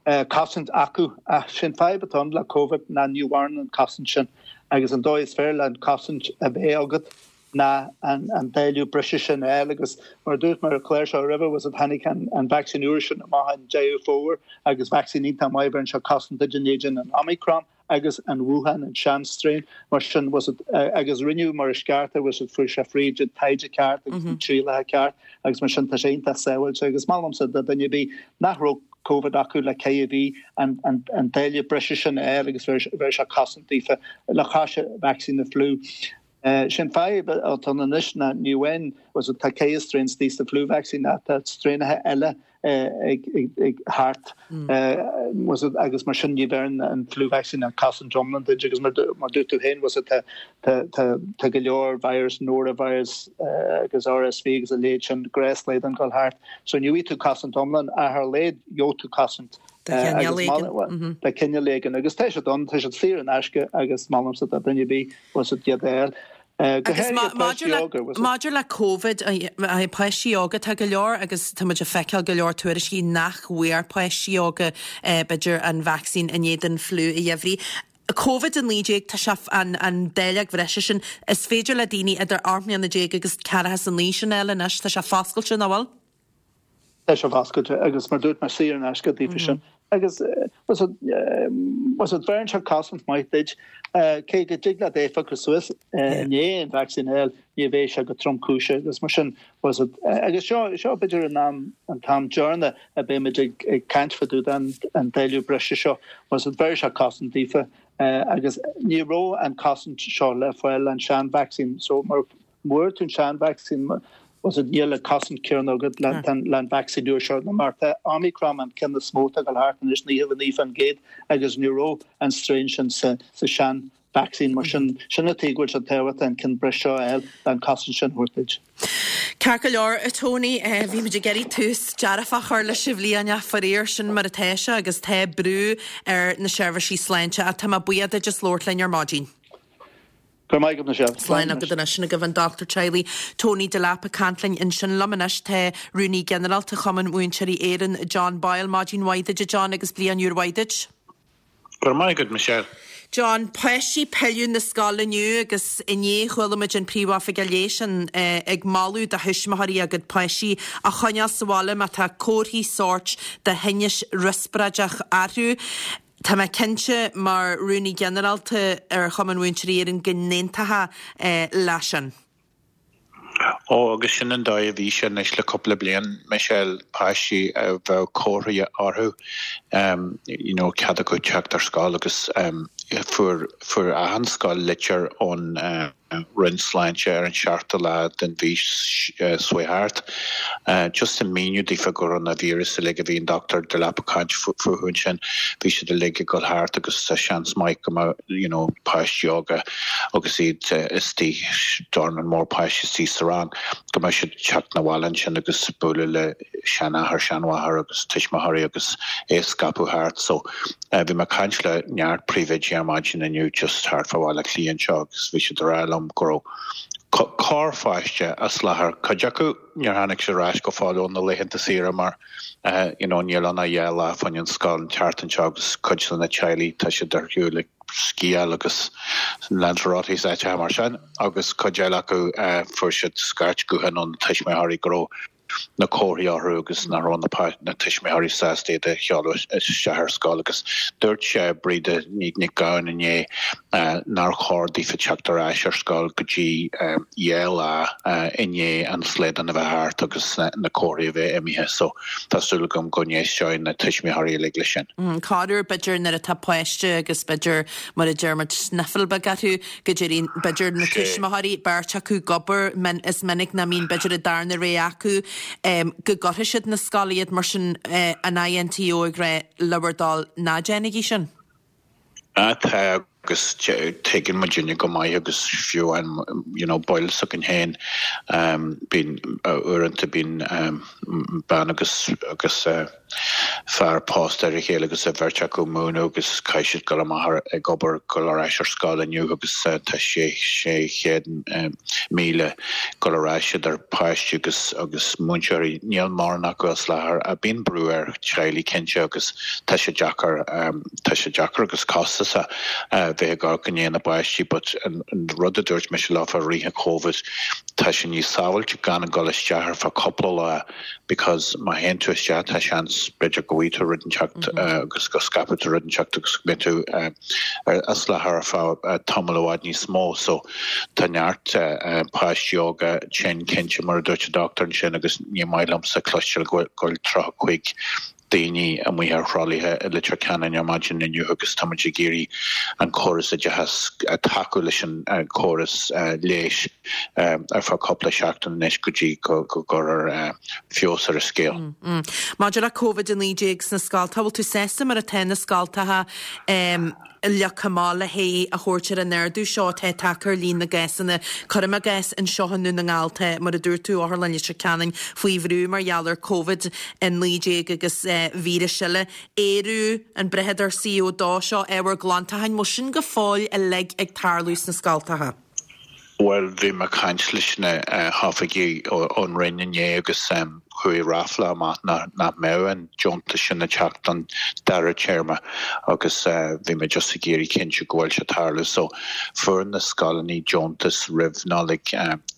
cosaint acu ach sin fadhb atá ann le Covid ná ní mhaireann an cosaint sin agus an dóigh is fearr le an cosaint a bheith agat ná an an dáileadh breise sin a fháil agus mar a dúirt mé ar an chlár seo roimhe bhfuil a fhios agat tháinig an an vacsaín úr sin amach i nDeireadh Fómhair agus vacsaín iontach maith bheireann sé cosaint duit in éadan an Omicron agus an Wuhan an sean-strain mar sin bhfuil a fhios agat agus rinneadh mar is ceart é bhfuil a fhios agat fuair sé fríd an taighde ceart agus na trialacha ceart agus mar sin tá sé iontach sábháilte agus maith liomsa do dhuine ar bith nach raibh Covid acu le ceithre mhí an an an dáileadh breise sin a fháil agus bheir sé cosaint daofa le cois vacsaín na fliú. Sin fadhb atá ann anois ná ní amháin bhfuil a fhios agat tá ceithre strain istigh sa flu vaccine ach tá straenacha eile ag ag thart bhfuil a fhios agat agus mar sin ní bheireann an flu vaccine an cosaint iomlán duit agus mar mar dúirt tú féin bhfuil a fhios agat tá tá tá go leor virus norovirus agus RSV agus a leithéid sin gnáthshlaghdán ag dul thart so ní bhfaighidh tú cosaint iomlán ach ar a laghad gheobhaidh tú cosaint
De chineál éigin.
De chineál éigin agus tá siad ann, tá siad saor in aisce agus molaimse do dhuine ar bith bhfuil a fhios agat iad a fháil. Go
Agus
háirithe páistí
maidir le
óga, bhfuil a fhios agat.
maidir le Covid, páistí óga, tá go leor agus tá muid ag feiceáil go leor tuairiscí nach bhfuair páistí óga b'fhéidir an vacsaín in éadan fliú an gheimhridh. Covid a naoi déag, tá sé an an dáileog bhreise sin, is féidir le daoine idir ocht mbliana déag agus ceathracha is a naoi sin a fháil anois, tá sé foscailte, nach bhfuil?
Tá sé foscailte agus mar dúirt mé saor in aisce daofa sin agus bhfuil a fhios agat bhfuil a fhios agat bheireann sé cosaint maith duit cé go dtig leat é a phiocadh suas i ndiaidh an vacsaín a fháil ní bheidh sé go tromchúiseach agus mar sin bhfuil a fhios agat agus seo seo b'fhéidir an am an t-am deireanach a beidh muid ag ag caint fá dtaobh den an dáileadh breise seo bhfuil a fhios agat bheir sé cosaint daofa agus ní raibh an cosaint seo le fáil an sean vacsaín so mar fuair tú an sean vacsaín bhfuil a fhios agat níl an cosaint céanna agat le an vacsaín nua seo mar tá Omicron an ceann is mó atá ag dul thart anois naocha a naoi faoin gcéad agus ní raibh an strain sin sa sa sean vacsaín mar sin sin an tuige go bhfuil sé tábhachtach an ceann breise seo a fháil le an cosaint sin a thabhairt duit.
Ceart go leor, a Tony, bhí muid ag iarraidh tús dearfach a chur leis an bhliain ach faraor sin mar atá sé agus tá brú ar na seirbhísí sláinte ach tá mé buíoch duit as labhairt linn ar maidin.
Go raibh maith agat Michelle.
Slán agat anois sin agaibh an dochtúir teaghlaigh Tony Delap ag caint linn ansin liom anois tá Rúnaí Ginearálta Chumann Múinteoirí Éireann John Boyle maidin mhaith duit a John agus bliain úr mhaith duit.
Go raibh maith agat Michelle.
John, páistí pilleadh na scoile inniu agus inné chuala muid an príomhoifigeach leighis an eh, ag moladh do thuismitheoirí a gcuid páistí a choinneáil sa bhaile má tá comharthaí sóirt de thinneas riospráideach orthu. Tá mé cinnte mar rúnaí ginearálta ar Chumann Múinteoirí Éireann go n-aontófá eh, leis sin.
Ó agus sin an dóigh a bhí sé anois le cúpla bliain Michelle páistí a bheadh comharthaí orthu um, you know, cead acu teacht ar scoil agus um, fuair fuair achan scoil litir ón uh, Roinn Sláinte ar an seachtú lá den mhí uh, seo thart. Uh, just an míniú daofa go raibh na víreas uilig a bhí an Dr. Delap ag caint fúthu sin bhí siad uilig ag dul thart agus tá seans maith go mbeadh you know, páistí óga agus iad uh, istigh dornán mór páistí istigh sa rang go mbeadh siad teacht na bhaile sin agus bualadh le seanathair seanmháthair agus tuismitheoirí agus é scaipeadh thart so uh, bhí mé ag caint le neart príomhoidí ar maidin inniu just thart fá Bhaile Átha Cliath anseo agus bhí siad ag rá liom go raibh corrpháiste as láthair cuid acu níor tháinig sé ar ais go fóill ó na laethanta saoire mar uh, you know, níl ann ach dhá lá fá choinne an scoil an tseachtain seo agus cuid de na teaghlaigh tá siad ar shiúl ag sciáil agus Lanzarote áiteacha mar sin agus cuid eile acu uh, fuair siad scairt gutháin ón tuismitheoirí go raibh na comharthaí orthu agus nach raibh na na tuismitheoirí sásta iad a sheoladh isteach ar scoil agus dúirt sé Breda Ní Nic Gabhann inné uh, nár chóir daofa teacht ar ais ar scoil go dtí um, dhá lá uh, i ndiaidh an slaghdán a bheith thart agus na, na comharthaí a bheith imithe so tá súil agam go n-éistfidh na tuismitheoirí uilig leis sin.
Mm, Corruair b'fhéidir nuair atá páiste agus b'fhéidir mar a deir muid sniffle beag orthu go dtéann b'fhéidir na tuismitheoirí beirt acu ag obair is minic nach mbíonn b'fhéidir an darna rogha acu um, go gcuirfidh siad na scoile iad mar sin uh, an INTO ag rá le bhur dtoil ná déanaigí sin.
Tá agus tuigeann muidinne go maith agus fiú an you know, baill s'againn féin um, bíonn uaireanta bíonn um, bean agus agus uh, fear pósta ar a chéile agus a bheirt acu ag múineadh agus caithfidh siad dul amach ag obair dul ar ais ar scoil inniu agus tá sé sé chéad míle dul ar ais idir páistí agus agus múinteoirí níl mórán acu as láthair a bíonn brú ar teaghlaigh cinnte agus tá sé deacair tá sé deacair agus costasach bheith ag amharc i ndiaidh na bpáistí but an rud a dúirt mise leofa i rith an Covid tá sé níos sábháilte gan a dhul isteach ar feadh cúpla lá because má théann tú isteach tá seans b'fhéidir go bhfaighidh tú rud inteacht agus go scaipfidh tú rud inteacht agus go mbeidh tú as láthair ar feadh tamall i bhfad níos mó so tá neart páistí óga tinn cinnte mar a dúirt an dochtúir ansin agus ní maith liomsa cloisteáil go bhfuil tríocha cúig daoine amuigh ar throlaithe i Leitir Ceanainn ar maidin inniu agus tá muid ag iarraidh an córas oideachais tacú leis an córas leighis ar feadh cúpla seachtain anois go dtí go gcuirfear feabhas ar an scéal.
Maidir le Covid a naoi déag sna scoltacha, bhfuil tú sásta mar atá na scoltacha le caimeáil le haghaidh a thabhairt ar an ardú seo atá tagtha ar líon na gcásanna. Cuirim i gcás anseo i nDún na nGall tá, mar a dúirt tú, Otharlann Leitir Ceanainn faoi bhrú mar gheall ar Covid a naoi déag agus víris eile. Aerú, an brathadóir C O dó seo, ábhar glantacháin, bhfuil sin go fóill uilig ag tarlú sna scoltacha?
Bhuel, bhí mé ag caint leis na hoifigigh ón Roinn inné agus chuaigh ráfla amach nach mbeadh an deontas sin ag teacht don dara téarma agus bhí mé just ag iarraidh cinntiú go bhfuil sé ag tarlú. So fuair na scoileanna deontas roimh Nollaig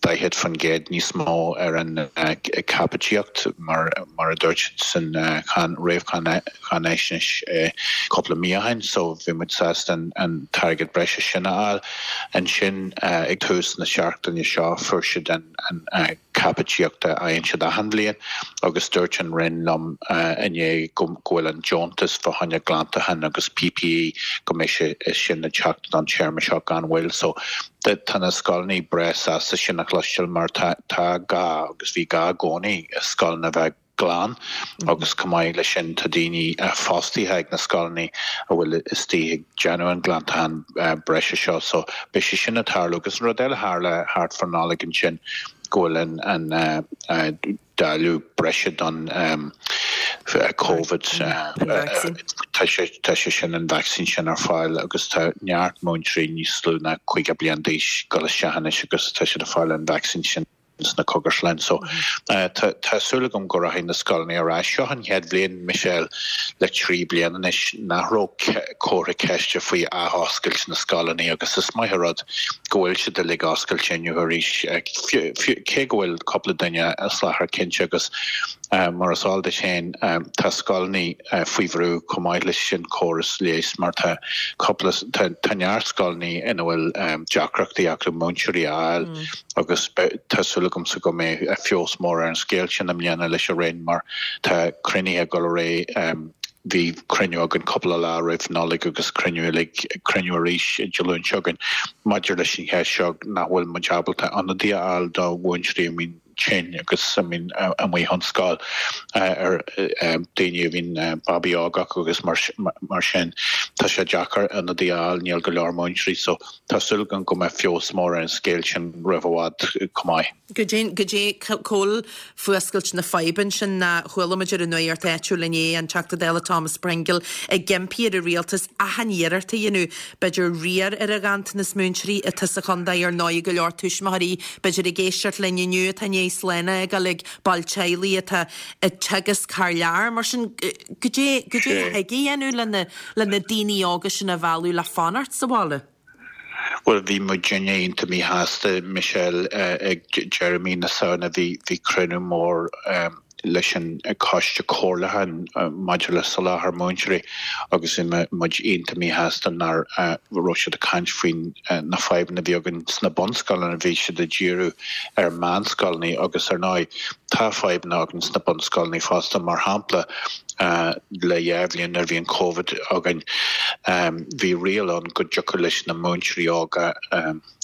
daichead faoin gcéad níos mó ar an caipitíocht mar mar a dúirt siad san réamhcháinaisnéis cúpla mí ó shin. So bhí muid sásta an t-airgead breise sin a fháil. Ansin ag tús na seachtaine seo fuair siad an caipitíocht a fhaigheann siad achan bhliain agus dúirt an Roinn liom inné go bhfuil an deontas fá choinne glantacháin agus P P E go mbeidh sé sin ag teacht don téarma seo gan mhoill. So tá na scoileanna breá sásta sin a chloisteáil mar tá gá agus bhí gá i gcónaí scoileanna a bheith glan agus chomh maith leis sin tá daoine fostaithe ag na scoileanna a bhfuil istigh ag déanamh an glantachán breise seo so beidh sé sin ag tarlú agus an rud eile a tharla thart fán Nollaig ansin go bhfuil an an dáileadh breise don Covid tá sé tá sé sin an vacsaín sin ar fáil agus tá neart múinteoirí níos lú ná caoga bliain d'aois ag dul isteach anois agus tá siad ag fáil an vacsaín sin. sna cógaslanna. So tá súil agam go rachaidh na scoileanna ar ais. Seo an chéad bhliain, Michelle, le trí bliana anois nach raibh comhartha ceiste faoi athoscailt na scoileanna agus is maith an rud go bhfuil siad uilig oscailte inniu arís, cé go bhfuil cúpla duine as láthair cinnte agus mar is eol duit féin tá scoileanna faoi bhrú chomh maith leis an córas leighis mar tá cúpla tá neart scoileanna ina bhfuil deacrachtaí acu múinteoirí a fháil agus tá súil agamsa go mbeidh feabhas mór ar an scéal sin i mbliana leis an Roinn mar tá cruinnithe ag dul ar aghaidh bhí cruinniú againn cúpla lá roimh Nollaig agus cruinniú uilig cruinniú arís Dé Luain seo chugainn maidir leis an cheist seo nach bhfuil muid ábalta ionadaí a fháil do mhúinteoirí a mbíonn tinn agus a mbíonn amuigh ón scoil ar daoine a bhíonn babaí óg acu agus mar sin tá sé deacair ionadaí a fháil níl go leor múinteoirí so tá súil agam go mbeidh feabhas mór ar an scéal sin roimh i bhfad chomh maith.
Goidé goidé cá bhfuil fuascailt na faidhbe ansin ná chuala muid ar an nuacht áitiúil inné an Teachta Dála Thomas Pringle ag impí ar an rialtas achan iarracht a dhéanamh b'fhéidir riar ar an ghanntanas múinteoirí atá sa chontae ar ndóigh go leor tuismitheoirí b'fhéidir ag éisteacht linn inniu atá i ndiaidh slán a fhágáil ag baill teaghlaigh atá ag teagasc thar lear mar sin goidé goidé a thig a dhéanamh lena lena daoine óga sin a mhealladh le fanacht sa bhaile.
Bhuel, bhí muidinne iontach míshásta, Michelle, ag deireadh mí na Samhna bhí bhí cruinniú mór leis an Coiste Comhairleacháin maidir le soláthar múinteoirí agus bhí muid iontach míshásta nach raibh siad ag caint faoin na fadhbanna a bhí againn sna bunscoileanna, bhí siad ag díriú ar meánscoileanna agus ar ndóigh tá fadhbanna againn sna bunscoileanna fosta, mar shampla le dhá bhliain nuair a bhí an Covid againn bhí riail ann go dtiocfadh leis na múinteoirí óga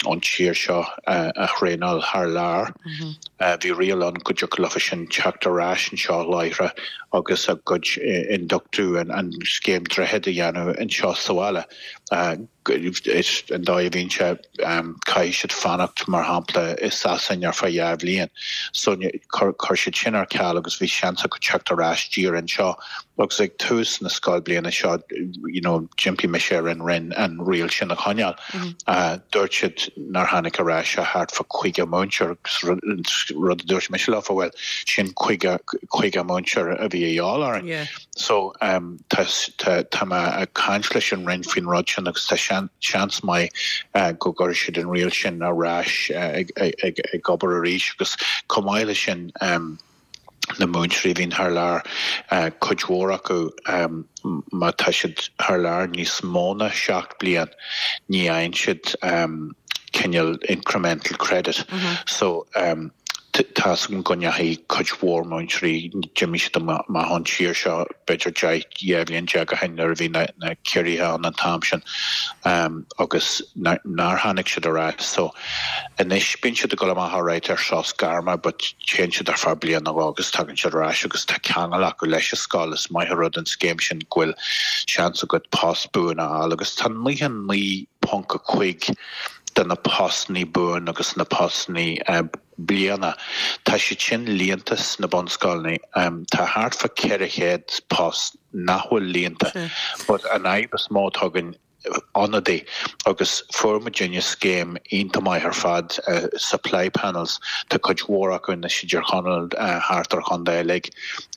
ón tír seo a thraenáil thar lear. Bhí riail ann go dtiocfadh leofa sin teacht ar ais anseo láithreach agus a gcuid ionduchtú an scéim Droichead a dhéanamh anseo sa bhaile. Is an dóigh a bhíonn sé, caithfidh siad fanacht, mar shampla, i Sasain ar feadh dhá bhliain. So chuir siad sin ar ceal agus bhí seans acu teacht ar ais díreach anseo. Agus ag tús na scoilbhliana seo, you know, d'impigh mise ar an Roinn an riail sin a choinneáil. Dúirt siad nár tháinig ar ais ach thart fá caoga múinteoir agus rud a dúirt mise leofa, bhuel, sin caoga, caoga múinteoir a bhí a dhíobháil orainn. So tá, tá, tá mé ag caint leis an Roinn faoin rud sin agus tá seans maith go gcuirfidh siad an riail sin ar ais ag, ag, ag obair arís agus chomh maith leis sin, na múinteoirí a bhíonn thar lear, cuid mhór acu, má tá siad thar lear níos mó ná seacht bliain, ní fhaigheann siad cineál incremental credit. So tá's agam go ndeachaigh cuid mhór múinteoirí, d'imigh siad amach ón tír seo b'fhéidir deich, dhá bhliain déag ó shin nuair a bhí na ciorruithe ann an t-am sin agus nár tháinig siad ar ais. So anois bíonn siad ag dul amach alright ar sos gairme but téann siad ar feadh bliain nó dhó agus tagann siad ar ais agus tá ceangal acu leis an scoil. Is maith an rud an scéim sin go bhfuil seans agat post buan a fháil agus tá naocha naoi ponc a cúig de na postannaí buan agus na postannaí bliana, tá siad sin líonta sna bunscoileanna. Tá thart fá ceithre chéad post nach bhfuil líonta but an fhadhb is mó atá againn ionadaí agus fuair muidinne scéim iontach maith ar fad, supply panels, tá cuid mhór acu anois i dTír Chonaill, thart ar chontae uilig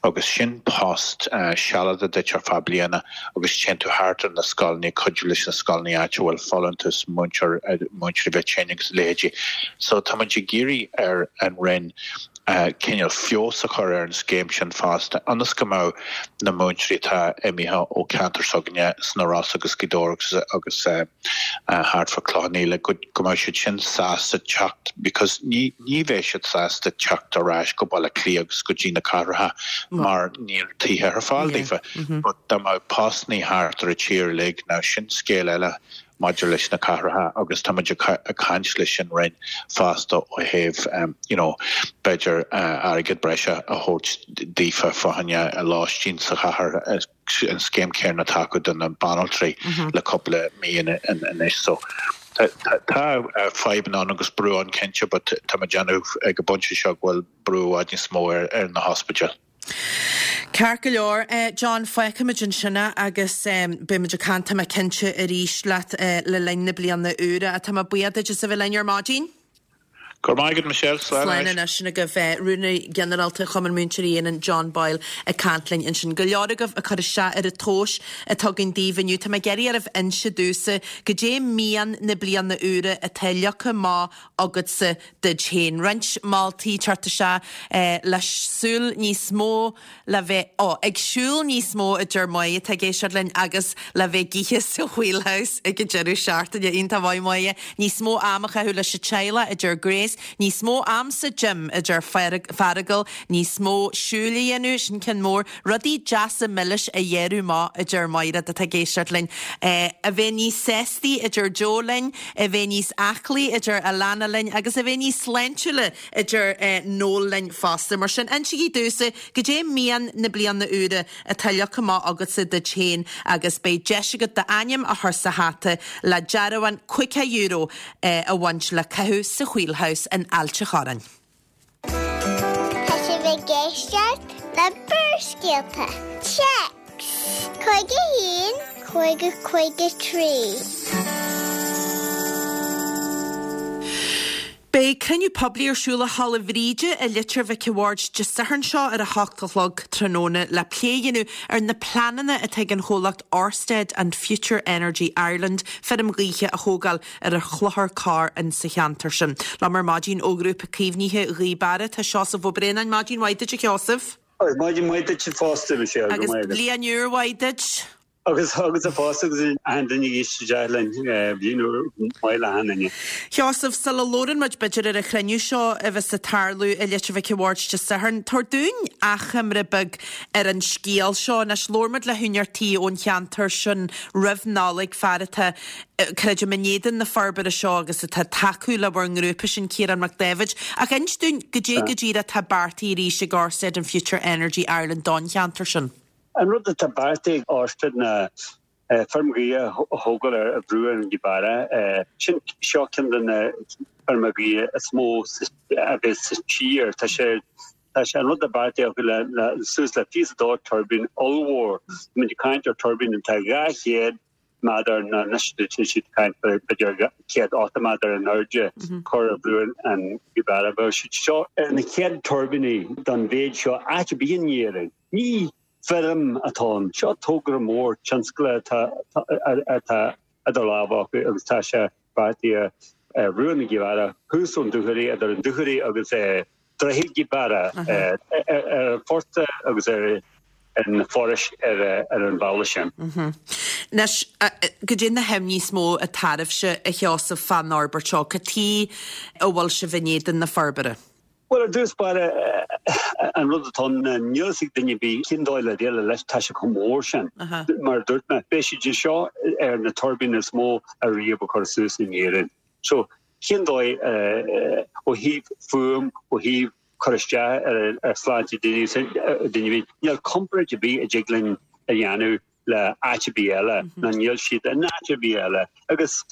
agus sin post sealadach duit ar feadh bliana agus téann tú thart ar na scoileanna, cuidiú leis na scoileanna áit a bhfuil folúntas, múinteoir, múinteoirí bheith tinn agus a leithéidí. So tá muid ag iarraidh ar an Roinn cineál feabhas a chur ar an scéim sin fosta ionas go mbeadh na múinteoirí atá imithe ó cheantar s'againne sna Rosa agus Gaoth Dobhair agus agus thart fá Cloich Cheann Fhaola go go mbeadh siad sin sásta teacht because ní ní bheidh siad sásta teacht ar ais go Baile Átha Cliath agus go dtí na cathracha mar níl tithe ar fáil daofa. But dá mbeadh postannaí thart ar an tír uilig, now sin scéal eile. maidir leis na cathracha agus tá muid ag caint leis an Roinn fosta ó thaobh you know b'fhéidir airgead breise a thabhairt daofa fá choinne lóistín sa chathair, an scéim chéanna atá acu do na banaltraí le cúpla mí anois. So tá fadhbanna ann agus brú ann cinnte but tá mé ag déanamh ag an bpointe seo go bhfuil brú i bhfad níos mó ar na hospidéil.
Ceart go leor, John, fágfaimid ansin é agus beimid ag caint, tá mé cinnte, arís leat le linn na bliana úire. Tá mé buíoch duit as a bheith linn ar maidin.
Go raibh maith agat, Michelle. Slán
Slán anois. Sin agaibh Rúnaí Ginearálta Chumann Múinteoirí Éireann, John Boyle, ag caint linn ansin. Go leor agaibh ag cur isteach ar an tomhas atá againn daoibh inniu. Tá mé ag iarraidh oraibh inse domhsa goidé mian na bliana úire atá leagtha amach agatsa duit féin. Roinnt moltaí ag teacht isteach le súil níos mó le bheith, ó, ag siúl níos mó a deir Máire atá ag éisteacht linn agus le bheith ag ithe sa Wheelhouse ag an deireadh seachtaine. Iontach maith Máire. Níos mó am a chaitheamh leis an teaghlach a deir Grace. Níos mó am sa gym a deir Feargal. Níos mó siúil a dhéanamh, sin ceann mór. Rudaí deasa milis a ghearradh amach a deir Máire atá ag éisteacht linn. A bheith níos sástaí a deir Joe linn. A bheith níos aclaí a deir Alana linn agus a bheith níos sláintiúla a deir Noel linn fosta. Mar sin, insígí domhsa goidé mian na bliana úire atá leagtha amach agatsa duit féin agus beidh deis agat d'ainm a chur sa hata le dearbhán caoga euro a bhaint le caitheamh sa Wheelhouse in Ailt a' Chorráin.
Tá sibh ag éisteacht le Barrscéalta. Téacs cúig a haon, cúig a cúig a trí.
Beidh cruinniú poiblí ar siúl i Halla Bhríde i Leitir Mhic a' Bhaird Dé Sathairn seo ar a hocht a chlog tráthnóna le plé a dhéanamh ar na pleananna atá ag an chomhlacht Orsted and Future Energy Ireland feirm ghaoithe a thógáil ar an Chlochar Corr in sa cheantar sin. Liom ar maidin ó Ghrúpa Caomhnaithe Ghaoth Beara tá Seosamh Ó Braonáin. Maidin mhaith duit a Sheosaimh.
Maidin mhaith duit fosta, Michelle.
Agus bliain úr mhaith duit.
Agus agatsa fosta agus achan duine ag éisteacht linn, bliain úr mhaith le achan duine.
Sheosaimh, sula labhrann muid b'fhéidir ar an chruinniú seo a bheas ag tarlú i Leitir Mhic a' Bhaird Dé Sathairn, tabhair dúinn achoimre beag ar an scéal seo. Anois, labhair muid le húinéir tí ón cheantar sin roimh Nollaig, fear atá, creidim, in éadan na forbartha seo agus atá ag tacú le bhur ngrúpa, sin Ciarán Mac Dáibhid. Ach inis dúinn goidé go díreach atá beartaithe arís ag Orsted and Future Energy Ireland don cheantar sin.
An rud atá beartaithe ag Orsted ná Feirm ghaoithe a thógáil ar bhruach an Ghaoth Sin seo ceann de na feirmeacha gaoithe is mó a bheas sa tír. Tá sé tá sé an rud a beartaíodh le le suas le fiche dó tuirbín ollmhór. Muid ag caint ar tuirbín atá dhá chéad méadar nó anois tá siad ag caint b'fhéidir céad ochtó méadar in airde cur ar bhruach an Ghaoth Bheadh siad seo ar na chéad tuirbíní den mhéid seo áit ar bith in Éirinn. Ní feirm atá ann. Seo togra mór tionscail atá atá idir lámha acu agus tá sé beartaithe ar bhruach na Gaoth thuas ón Dúchoraidh idir an Dúchoraidh agus Droichead Ghaoth Beara ar an phort agus ar an forais ar ar an bhealach sin.
Anois, goidé na himní is mó atá oraibhse, a Sheosaimh, fán fhorbairt seo, cad chuige a bhfuil sibh in éadan na forbartha?
Bhuel, ar dtús báire, an rud atá ann, níl fhios ag duine ar bith cén dóigh le déileáil leis, tá sé chomh mór sin. Mar a dúirt mé, beidh siad seo ar na tuirbíní is mó a riamh a cuireadh suas in Éirinn. So, cén dóigh, ó thaobh fuaim, ó thaobh cur isteach ar shláinte daoine, duine ar bith, níl comparáid ar bith a dtig linn a dhéanamh le áit ar bith eile, nó níl siad in áit ar bith eile. Agus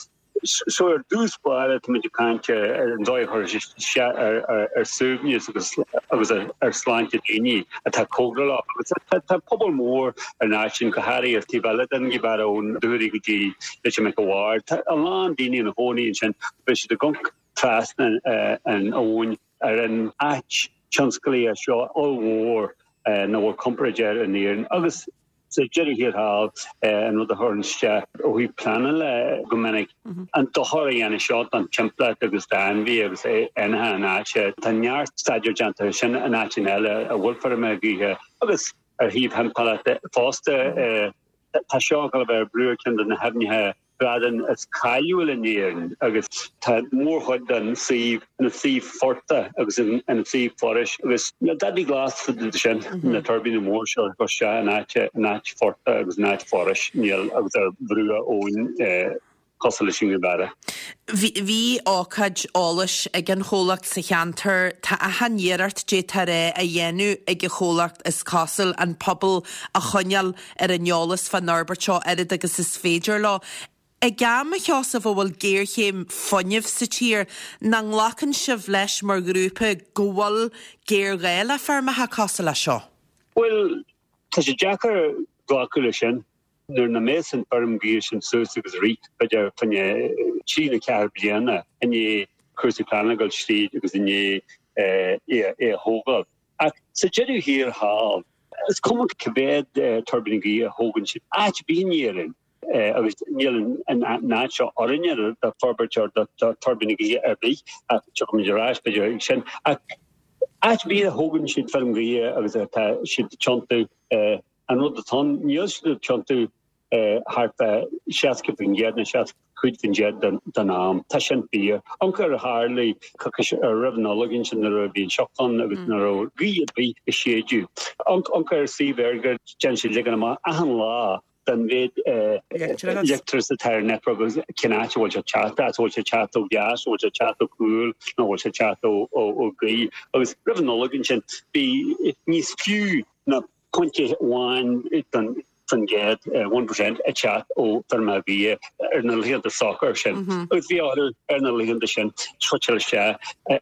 So ar dtús báire tá muid ag caint ar an dóigh a chuirfidh sé isteach ar suaimhneas agus agus ar shláinte daoine atá cóngarach leo. Agus tá pobal mór ar an áit sin, go háirithe ar taobh eile den Ghaoth Beara ón Dúchoraidh go dtí Leitir Mhic a' Bhaird. Tá a lán daoine ina gcónaí ansin. Beidh siad ag amharc trasna an abhainn ar an áit tionsclaíoch seo ollmhór nach bhfuil comparáid air in Éirinn. Agus Sa deireadh thiar thall, an rud a chuireann isteach ó thaobh pleanála go minic, an dochar a dhéanann seo don timpeallacht agus d'ainmhithe agus éanlaithe na háite. Tá neart staidéar déanta ar sin in áiteanna eile a bhfuil feirmeacha gaoithe agus ar thaobh thimpeallachta fosta. Tá seo ag dul a bheith ar bruach ceann de na haibhneacha bradán is cáiliúil in Éirinn agus tá mórchuid den suíomh ina suíomh phortaigh agus ina suíomh forais agus níl dadaí glas fá dtaobh de sin, na tuirbíní mór seo ag cur isteach in áit in áit phortaigh agus in áit forais, níl agus ar bhruach abhainn cosúil leis an nGaoth Beara.
Bhí bhí ócáid eolais ag an chomhlacht sa cheantar. Tá achan iarracht d'fhéadfá a rá á dhéanamh ag an chomhlacht is cosúil an pobal a choinneáil ar an eolas fán fhorbairt seo oiread agus is féidir leo. Ag am, a Sheosaimh, a bhfuil géarchéim fuinnimh sa tír, nach nglacann sibh leis mar ghrúpa go bhfuil géarghá le feirmeacha cosúil leis seo?
Bhuel, tá sé deacair glacadh leis sin. Nuair nach mbeas an feirm gaoithe sin suas agus rith, b'fhéidir, fá choinne trí nó ceathair bliana i ndiaidh cúrsaí pleanála a ghoil tríd agus i ndiaidh é a thógáil. Ach sa deireadh thiar thall, is cuma cá mhéad tuirbín gaoithe a thógann siad áit ar bith in Éirinn, agus níl an áit seo oiriúnach do forbairt ar do tuirbíní gaoithe ar bith, ach tiocfaimid ar ais b'fhéidir ag sin. Ach áit ar bith a thógann siad feirm ghaoithe agus atá siad ag tiontú, an rud atá ann, níl siad ag tiontú thart fá seasca faoin gcéad nó seasca cúig faoin gcéad den am. Tá sin fíor. Amharc ar a tharla coicís roimh an Nollaig ansin nuair a bhí an sioc ann agus nach raibh gaoth ar bith ag séideadh. Amharc ar suíomh EirGrid, déanann siad ligean amach achan lá den mhéid leictreachas atá ar an network agus cén áit a bhfuil sé ag teacht as, an bhfuil sé ag teacht ó gheas, an bhfuil sé ag teacht ó chúl nó an bhfuil sé ag teacht ó ghaoth. Agus roimh an Nollaig ansin bhí níos fiú ná pointe amháin den faoin gcéad, one percent, ag teacht ó feirmeacha gaoithe ar na laethanta socair sin. Agus bhí orthu ar na laethanta sin switcháil isteach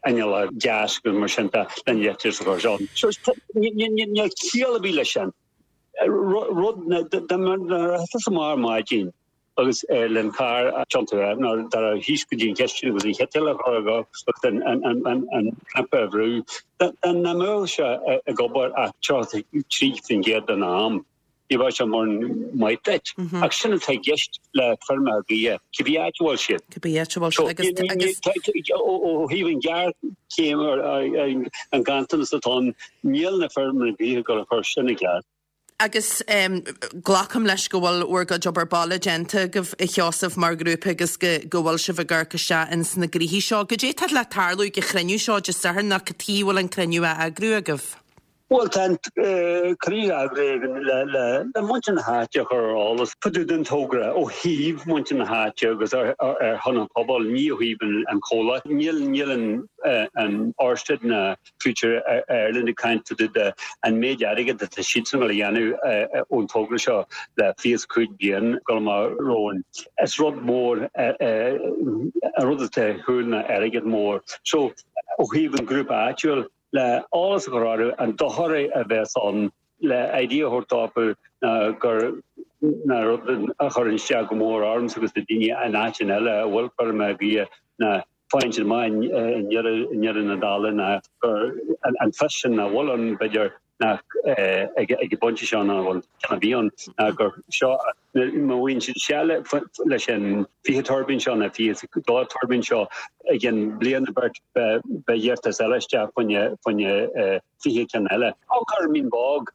inneall gas agus mar sin de le leictreachas a chur isteach. Níl ciall ar bith leis sin. Rud dá mbeadh amach ar maidin agus le an carr a thiontú nó dá raibh thíos go dtí an chistin agus an chiteal a chur agus an cnaipe a bhrú, dá mbeadh sé ag obair ach tríocha trí faoin gcéad den am, ní bheadh sé mórán maith duit. Ach sin atá i gceist le feirmeacha gaoithe, cibé áit a bhfuil siad.
Cibé áit a bhfuil siad agus.
Ó thaobh an ghéarchéim an ganntanas atá ann, níl na feirmeacha gaoithe ag dul a chur sin i gceart.
Agus glacaim leis go bhfuil bhur gcuid obair baile déanta agaibh, a Sheosaimh, mar ghrúpa agus go go bhfuil sibh ag amharc isteach ins na gnoithí seo. Goidé tá le tarlú ag an chruinniú seo Dé Sathairn nó cad chuige a bhfuil an cruinniú á eagrú agaibh?
Bhuel tá an cruinniú eagraithe le le muintir na háite a chur ar eolas fá dtaobh den togra ó thaobh muintir na háite agus ar ar shon an phobail, ní ó thaobh an chomhlacht. Níl níl an an Ørsted ná Future Ireland ag caint fá dtaobh de an méid airgid atá siadsan a dhéanamh ón togra seo le fiche is cúig bliain go amach romhainn. Is rud mór an rud atá ar siúl ná airgead mór. So ó thaobh an grúpa áitiúil, le eolas a chur orthu an dochar a bheas ann, le idea a thabhairt dóibh gur ná rud a chuireann isteach go mór ormsa agus do daoine in áiteanna eile a bhfuil feirmeacha gaoithe ná faigheann siad amach i ndeireadh na dála ná gur an fios sin nach bhfuil ann b'fhéidir nach ag an bpointe seo nach bhfuil ceann a bhí ann ná gur seo má bhíonn siad seal leis an fiche tuirbín seo nó fiche dó tuirbín seo i gcionn bliain nó beirt beidh iarratas eile isteach fá choinne fiche ceann eile. Amharc ar Mín Bog,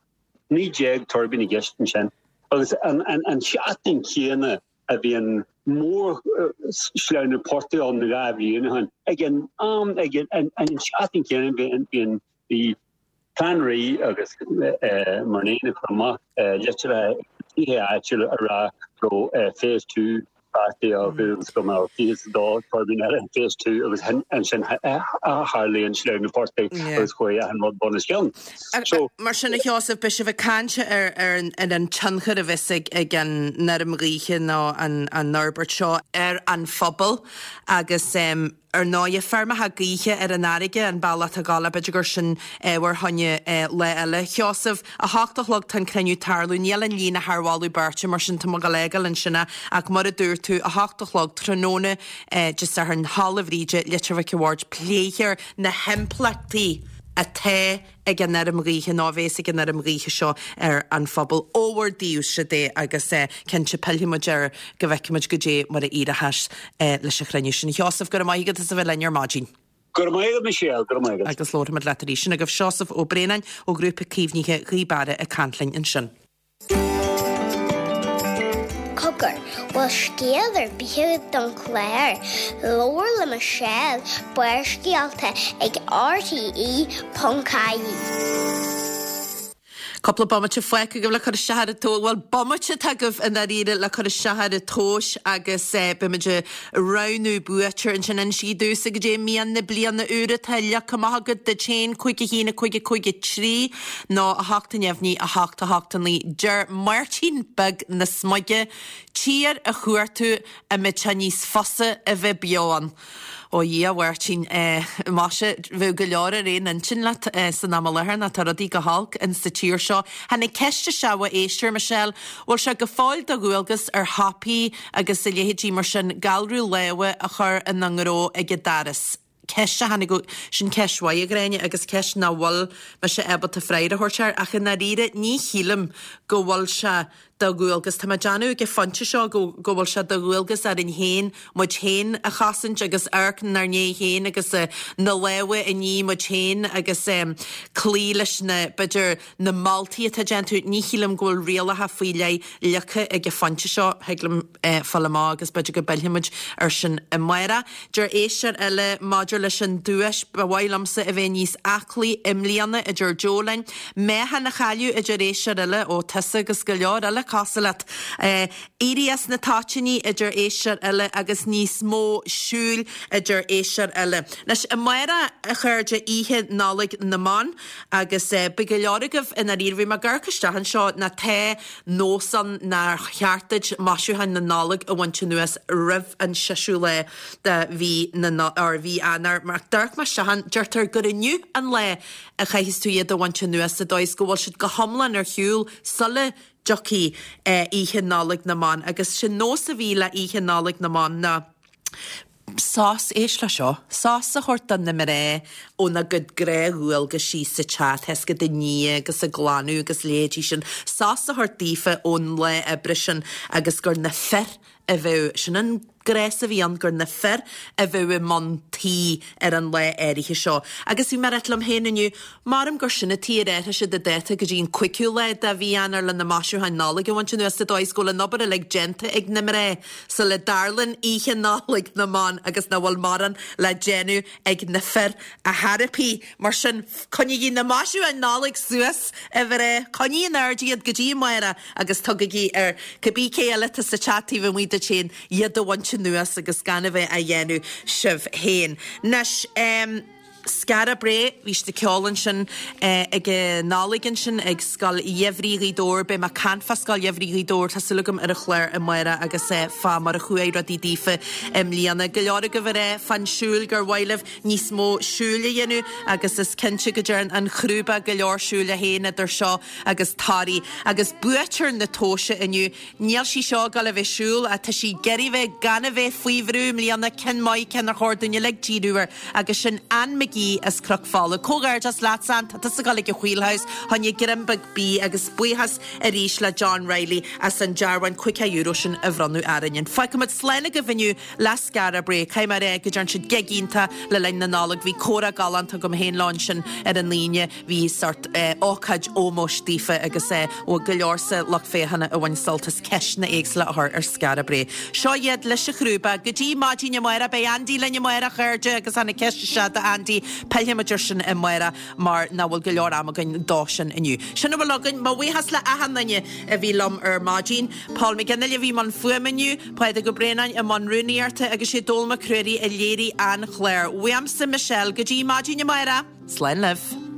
naoi déag tuirbín i gceist ansin. Agus an tseachtain chéanna a bhí an mór-shleamhnú portaigh ann dhá bhliain ó shin, ag an am, ag an tseachtain chéanna bhí an bhí Clann Rí agus Murnane ag cur amach litreacha chuig tithe áitiúla ag rá go raibh Phase Two beartaithe acu agus go mbeadh fiche is a dó tuirbín eile in Phase Two agus ansin tharlaigh an sleamhnú portaigh agus chuaigh achan rud bun os cionn.
So. Mar sin, a Sheosaimh, beidh sibh ag caint ar ar an tionchar a bheas ag ag an fheirm ghaoithe nó an an fhorbairt seo ar an phobal agus Ar ndóighe, feirmeacha gaoithe ar an fharraige an bealach atá ag gabháil, b'fhéidir gur sin ábhar fá choinne lá eile. Sheosamh, a hocht a chlog tá an cruinniú ag tarlú, níl an líne thar mholadh beirte, mar sin tá mé ag gabháil a fhágáil ansin é, ach mar a dúirt tú, a hocht a chlog tráthnóna Dé Sathairn, Halla Bhríde, Leitir Mhic an Bhaird, pléifear na himpleachtaí atá ag an fheirm ghaoithe nó a bhéas ag an fheirm ghaoithe seo ar an phobal. Ó bhur dtaobhsa de agus cinnte pillfidh muid air go bhfeicfidh muid goidé mar a éireochas leis an chruinniú sin. A Sheosaimh, go raibh maith agat as a bheith linn ar maidin.
Go raibh maith agat Michelle, go raibh maith agat.
Agus labharfaidh muid leat arís. Sin agaibh Seosamh Ó Braonáin ó Ghrúpa Caomhnaithe Ghaoth Beara ag caint linn ansin.
Cogar, bhfuil scéal ar bith agat don chlár? Labhair le Michelle, Barrscéalta ag RTE ponc ie.
Cúpla bomaite fágtha agaibh le cur isteach ar an tomhas, bhuel, bomaite atá agaibh i ndáiríre le cur isteach ar an tomhas agus beimid ag roghnú buaiteoir ansin. Inis domhsa goidé mian na bliana úr atá leagtha amach agat duit féin, cúig a haon, a cúig, a cúig a trí nó a hocht a neamhní, a hocht, a hocht a naoi. Deir Máirtín Beag na Smuige, Tír a chuartú a mbeidh sé níos fusa a bheith beo ann. Ó Dhia, a Mháirtín, maise, bheadh go leor ar aon intinn leat san am i láthair ná tá rudaí go holc in sa tír seo. Tháinig ceist isteach ó éisteoir, Michelle, bhfuil sé go fóill de dhualgas ar shiopaí agus a leithéidí mar sin galrú láimhe a chur ina ngnó ag an doras? Ceist a tháinig ó, sin ceist mhaith, a Ghráinne, agus ceist nach bhfuil mise ábalta freagra a thabhairt air, ach i ndáiríre ní shílim go bhfuil sé de dhualgas, tá mé ag déanamh ag an phointe seo go go bhfuil sé de dhualgas orainn féin muid féin a chosaint agus amharc inár ndiaidh féin agus na lámha a ní muid féin agus cloí leis na, b'fhéidir, na moltaí atá déanta. Ní shílim go bhfuil rialacha faoi leith leagtha ag an phointe seo, thig liom fáil amach agus b'fhéidir go bpillfidh muid ar sin amárach. Deir éisteoir eile maidir leis an duais, ba mhaith liomsa a bheith níos aclaí i mbliana, a deir Joe linn. Meáchan a chailleadh, a deir éisteoir eile, ó tusa agus go leor eile cosúil leat. Éirí as na toitíní, a deir éisteoir eile, agus níos mó siúil, a deir éisteoir eile. Anois, amárach, a chairde, Oíche Nollaig na mBan, agus beidh go leor agaibh i ndáiríre, bhí mé ag amharc isteach anseo, ná tá nós ann nár cheart duit maisiúcháin na Nollag a bhaint anuas roimh an seisiú lá de mhí na or mhí Eanáir. Mar d'amharc mé isteach ann, deirtear gur inniu an lá a chaithfeas tú iad a bhaint anuas sa dóigh is go bhfuil siad go hiomlán ar shiúl sula dtiocfaidh Oíche Nollaig na mBan. Agus sin nós a bhí le Oíche Nollaig na mBan ná sos, éist le seo, sos a thabhairt do na mná óna gcuid gnáthdhualgaisí sa teach, tá fhios agat ag ní agus ag glanadh agus leithéidí sin, sos a thabhairt daofa ón lá oibre sin agus gur na fir a bheadh, sin an gnás a bhí ann gur na fir a bheadh i mbun tí ar an lá áirithe seo. Agus bhí mé ag ráit liom féin inniu, maram gur sin atá ar athraigh siad an dáta go dtí an cúigiú lá de mhí Eanáir le na maisiúcháin Nollag a bhaint anuas sa dóigh is go bhfuil an obair uilig déanta ag na mná sula dtarlaíonn oíche Nollag na mBan agus nach bhfuil mórán le déanamh ag na fir ar chor ar bith. Mar sin, coinnígí na maisiúcháin Nollag suas, a mhná, coinnigí in airde iad go dtí amárach agus tugaigí ar cibé cé eile atá sa teach taobh amuigh duit féin iad a bhaint anuas agus gan a bheith á dhéanamh sibh féin. Anois, em. Skara Brae, bhí siad ag ceol ansin ag an Nollaig ansin ag Scoil Gheimhridh Ghaoth Dobhair. Beidh mé ag caint fá Scoil Gheimhridh Ghaoth Dobhair, tá súil agam ar an chlár amárach agus fá mar a chuaigh rudaí daofa i mbliana. Go leor agaibh ag rá fán siúl gur mhaith libh níos mó siúil a dhéanamh agus is cinnte go dtearn an Chrúba go leor siúil é féin idir seo agus Toraigh. Agus buaiteoir na tomhaise inniu, níl sí seo ag dul a bheith ag siúl ach tá sí ag iarraidh bheith gan a bheith faoi bhrú i mbliana, ceann maith, ceann ar chóir dúinn uilig díriú air agus sin Ann McGee as Cnoc Fola. Comhghairdeas leat Ann, tá tusa ag dul ag an Wheelhouse, fá choinne greim beag bídh agus buíochas arís le John Reilly as an dearbhán caoga euro sin a bhronnadh orainn. Fágfaimid slán agaibh inniu le Skara Brae. Caithfidh mé a rá go dtearn siad gig iontach le linn na Nollag. Bhí comhrá galánta agam féin leo ansin ar an Aoine. Bhí sort ócáid ómóis daofa agus ó go leor sa lucht féachana a bhain sult as ceisteanna éagsúla a chur ar Skara Brae. Seo iad leis an Chrúba. Go dtí maidin amárach, beidh Andy linn amárach a chairde agus ana ceist isteach do Andy. Pillfimid air sin amárach mar nach bhfuil go leor ama againn dó sin inniu. Sin a bhfuil againn. Mo bhuíochas le achan duine a bhí liom ar maidin. Paul McGinley a bhí i mbun fuaime inniu, Pádraig Ó Braonáin i mbun rúnaíochta agus sé Dónall Mac Ruairí a léirigh an clár. Uaimse Michelle go dtí maidin amárach. Slán libh.